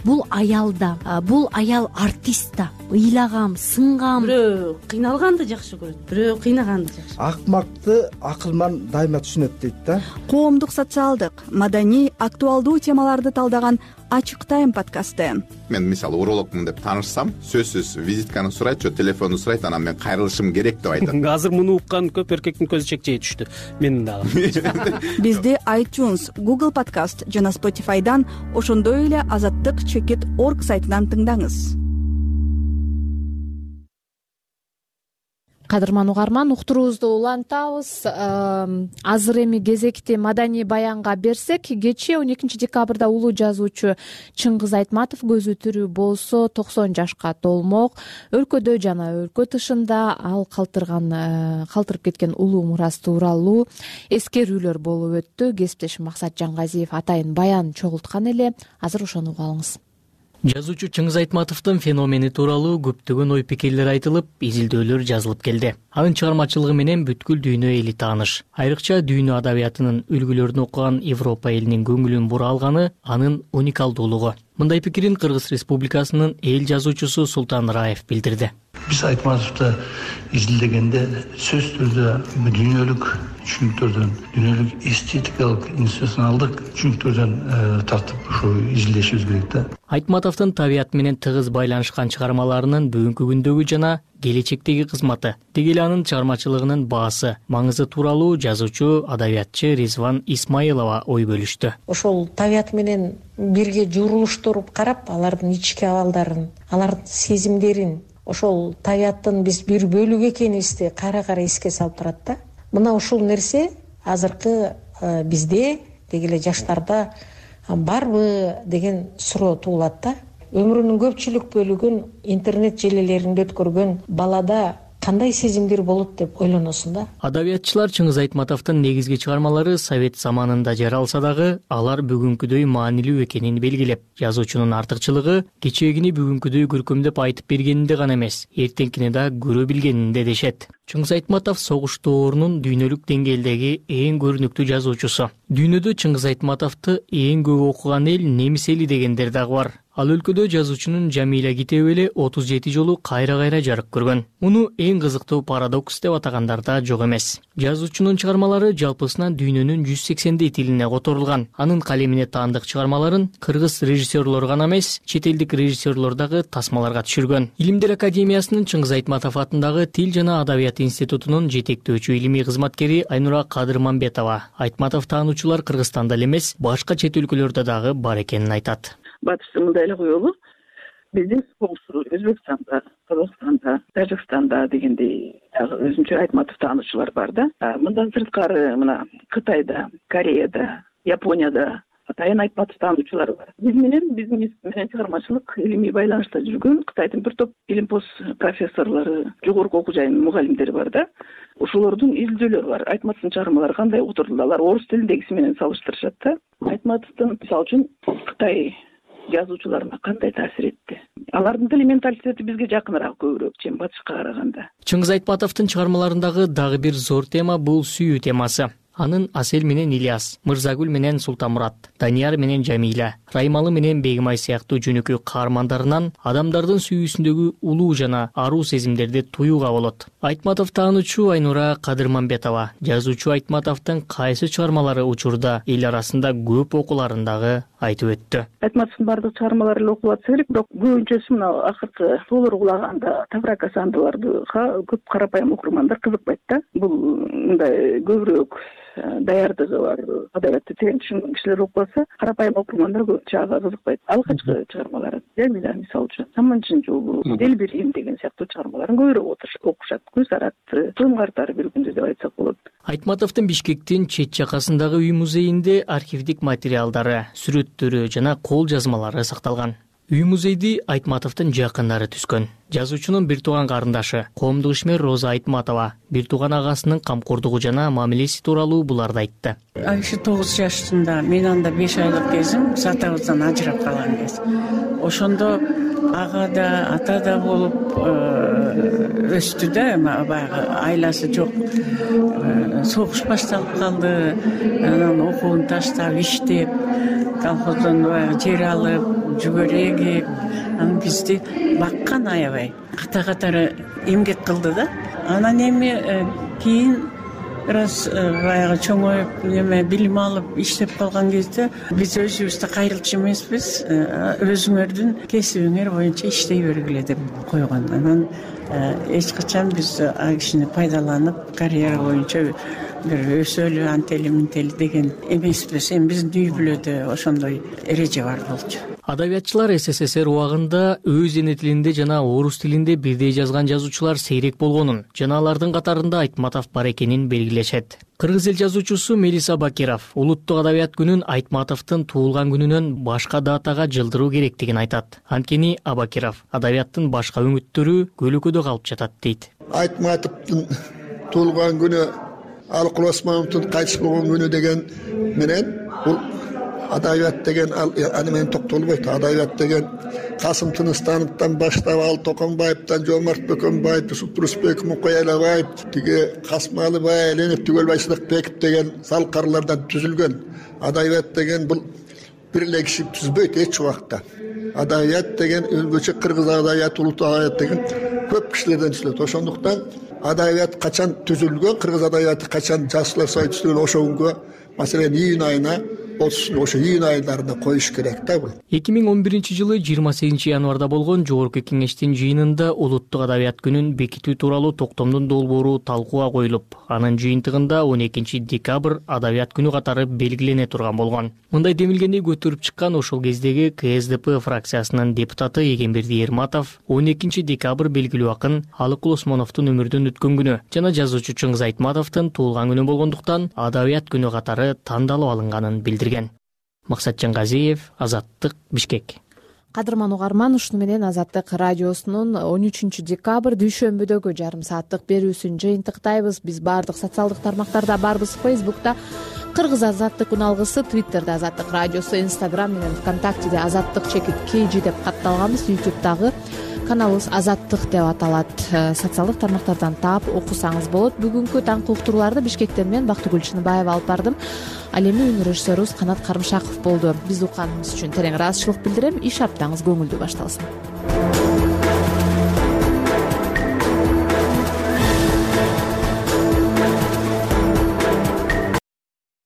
Бул аялда, бул аял артист да. Ыйлагам, сынгам. Бирөө кыйналганды жакшы көрөт, бирөө кыйнаганды жакшы. Акмакты акылман дайыма түшүнөт дейт да. Коомдук, социалдык, маданий, актуалдуу темаларды талдаган Ачык Тайм подкасты. Мен мисалы урологмун деп таанышсам, сөзсүз визитканы сурайт, же телефонду сурайт, анан мен кайрылышым керек деп айтат. Азыр муну уккан көп эркектин көзү чекчей түштү. Менин дагы. Бизди iTunes, Google Podcast жана Spotify'дан, ошондой эле azattik.org сайтынан тыңдаңыз. Кадырман угарман, уктуруубузду улантабыз. Азыр эми кезекти маданий баянга берсек, кечээ 12 декабрда улуу жазуучу Чыңгыз Айтматов көзү тирүү болсо 90 жашка толмок. Өлкөдө жана өлкө тышында ал калтырып кеткен улуу мурас тууралуу эскерүүлөр болуп өттү. Кесиптешим Максат Жангазиев атайын баян чогулткан эле. Азыр ошону угабыз. Жазуучу Чыңгыз Айтматовдун феномени тууралуу көптөгөн ой пикирлер айтылып, изилдөөлөр жазылып келди. Анын чыгармачылыгы менен бүткүл дүйнө эли тааныш. Айрыкча дүйнө адабиятынын үлгүлөрүн окуган Европа элинин көңүлүн бура алганы анын уникалдуулугу. Мындай пикирин Кыргыз Республикасынын эл жазуучусу Султан Раев билдирди. Биз Айтматовду изилдегенде сөз түрдө дүйнөлүк түшүнүктөрдөн, дүйнөлүк эстетикалык, институционалдык түшүнүктөрдөн тартып ушу изилдешибиз керек да. Айтматовдун табият менен тыгыз байланышкан чыгармаларынын бүгүнкү күндөгү жана келечектеги кызматы, деги эле анын чыгармачылыгынын баасы, маңызы тууралуу жазуучу, адабиятчы Ризван Исмаилова ой бөлүштү. Ошол табият менен бирге журулуштуруп карап, алардын ички абалдарын, алардын сезимдерин, ошол табияттын биз бир бөлүгү экенибизди кайра эске салып турат да. Мына ушул нерсе азыркы бизде, деги эле жаштарда барбы деген суроо туулат да. Өмүрүнүн көпчүлүк бөлүгүн интернет желелеринде өткөргөн балада кандай сезимдер болот деп ойлоносуң да. Адабиятчылар Чыңгыз Айтматовдун негизги чыгармалары совет заманында жаралса дагы, алар бүгүнкүдөй маанилүү экенин белгилеп, жазуучунун артыкчылыгы кечегини бүгүнкүдөй көркөмдөп айтып бергенинде гана эмес, эртеңкини да көрө билгенинде дешет. Чыңгыз Айтматов согуш доорунун дүйнөлүк деңгээлдеги эң көрүнүктүү жазуучусу. Дүйнөдө Чыңгыз Айтматовду эң көп окуган эл немис эли дегендер дагы бар. Ал өлкөдө жазуучунун Жамиля китеби эле 37 жолу кайра жарык көргөн. Муну эң кызыктуу парадокс деп атагандар да жок эмес. Жазуучунун чыгармалары жалпысынан дүйнөнүн 180 тилине которулган. Анын калемине таандык чыгармаларын кыргыз режиссерлор гана эмес, чет элдик режиссерлор дагы тасмаларга түшүргөн. Илимдер академиясынын Чыңгыз Айтматов атындагы Тил жана Адабият институтунун жетектөөчү илимий кызматкери Айнура Кадырмамбетова Айтматов таануучулар Кыргызстанда эле эмес, башка чет өлкөлөрдө дагы бар экенин айтат. Батышта мындай эле коелу, биздин Өзбекстанда, Кыргызстанда, Тажикстанда дегендей өзүнчө Айтматов таануучулар бар да. Мындан сырткары мына Кытайда, Кореяда, Японияда атайын Айтматов таануучулар бар. Биздин менен чыгармачылык илимий байланышта жүргөн Кытайдын бир топ илимпоз профессорлору, жогорку окуу жайынын мугалимдери бар да. Ушулордун изилдөөлөрү бар. Айтматовдун чыгармалары кандай отурду, алар орус тилиндегиси менен салыштырышат да. Айтматовдун мисалы үчүн Кытай жазуучуларына кандай таасир этти? Алардын тили менталитети бизге жакыныраак көбүрөөк, чем батышка караганда. Чыңгыз Айтматовдун чыгармаларындагы дагы бир зор тема бул сүйүү темасы. Анын Асель менен Ильяс, Мырзагүл менен Султанмурат, Данияр менен Жамиля, Раймалы менен Бегимай сыяктуу жөнөкөй каармандарынан адамдардын сүйүүсүндөгү улуу жана аруу сезимдерди туюуга болот. Айтматов таануучу Айнура Кадырмамбетова жазуучу Айтматовдун кайсы чыгармалары учурда эл арасында көп окуларын дагы айтып өттү. Айтматовдун бардык чыгармалары эле окулат керек, бирок көбүнчөсү мына акыркы Тоолор кулаганда, Таврака сандыларды көп карапайым окурмандар кызыкпайт да. Бул мындай көбүрөөк даярдыгы бар, адабиятты терең түшүнгөн кишилер окубаса, карапайым окурмандар көбүнчө ага кызыкпайт. Алгачкы чыгармалары, Жамиля мисалы үчүн, Саманчын жолу, Делбирим деген сыяктуу чыгармаларын көбүрөөк окушат. Көз аратты, Тым картары бир күндө деп айтсак болот. Айтматовдун Бишкектин чет жакасындагы үй музейинде архивдик материалдары, сүрөттөрү жана кол жазмалары сакталган. Үй музейди Айтматовдун жакындары түзгөн. Жазуучунун бир тууган карындашы, коомдук ишмер Роза Айтматова бир тууган агасынын камкордугу жана мамилеси тууралуу буларды айтты. Айшы 9 жаштында, мен анда 5 айлык кезим, атабыздан ажырап калган кез. Ошондо ага да, ата да болуп өстү да, баягы айласы жок. Согуш башталып калды, анан окуун таштап, иштеп, колхоздон баягы жер алып, жүгөрү эгип, анан бизди баккан аябай. Ката-катары эмгек кылды да. Анан эми кийин раз баягы чоңоюп, билим алып, иштеп калган кезде биз өзүбүздү кайрылчу эмеспиз, өзүңөрдүн кесибиңер боюнча иштей бергиле деп койгон. Анан эч качан биз ал кишини пайдаланып, карьера боюнча бир өсөлү, антели ментели деген эмеспиз. Эми биздин үй бүлөдө ошондой эреже бар болчу. Адабиятчылар СССР убагында өз эне тилинде жана орус тилинде бирдей жазган жазуучулар сейрек болгонун жана алардын катарында Айтматов бар экенин белгилешет. Кыргыз эл жазуучусу Мелис Абакиров улуттук адабият күнүн Айтматовдун туулган күнүнөн башка датага жылдыруу керектигин айтат. Анткени Абакиров адабияттын башка үмүттөрү көлөкөдө калып жатат дейт. Айтматовдун туулган күнү, Алыкул Осмоновдун кайтыш болгон күнү деген менен бул адабият деген аны менен токтолбойт. Адабият деген Касым Тыныстановдон баштап ал Токонбаевден Жомарт Бөкөнбаев, Юсуп Турусбек, Мукай Алабаев, тиги Касмалыбай, Ленин Түгөлбай Сыдыкбеков деген салкарлардан түзүлгөн. Адабият деген бул бир эле киши түзбөйт эч убакта. Адабият деген өзбөчө кыргыз адабияты, улуттук адабият деген көп кишилерден түзүлөт. Ошондуктан адабият качан түзүлгөн, кыргыз адабияты качан Жашылар союзу түзүлгөн, ошо күнгө маселен июнь айына ошо июнь айдарында коюш керек да бул. 2011-жылы 28 январда болгон Жогорку Кеңештин жыйынында улуттук адабият күнүн бекитүү тууралуу токтомдун долбоору талкууга коюлуп, анын жыйынтыгында 12 декабрь адабият күнү катары белгилене турган болгон. Мындай демилгени көтөрүп чыккан ошол кездеги КСДП фракциясынын депутаты Эгемберди Эрматов 12 декабрь белгилүү акын Алыкул Осмоновдун өмүрдөн өткөн күнү жана жазуучу Чыңгыз Айтматовдун туулган күнү болгондуктан адабият күнү катары тандалып алынганын билдирген. Максатжан Газиев, Азаттык, Бишкек. Кадырман угарман, ушуну менен Азаттык радиосунун 13 декабрь дүйшөмбүдөгү жарым сааттык берүүсүн жыйынтыктайбыз. Биз баардык социалдык тармактарда барбыз. Фейсбукта Кыргыз Азаттык үналгысы, Твиттерде Азаттык радиосу, Инстаграм менен ВКонтактеде Азаттык_KG деп катталганбыз. Ютубтагы каналыбыз Азаттык деп аталат. Социалдык тармактардан таап окусаңыз болот. Бүгүнкү таңкы уктурууларды Бишкектен мен Бактыгүл Чыныбаева алып бардым. Ал эми үн режиссерубуз Канат Карымшаков болду. Биз укканыбыз үчүн терең ыраазычылык билдирем. Иш аптаңыз көңүлдүү башталсын.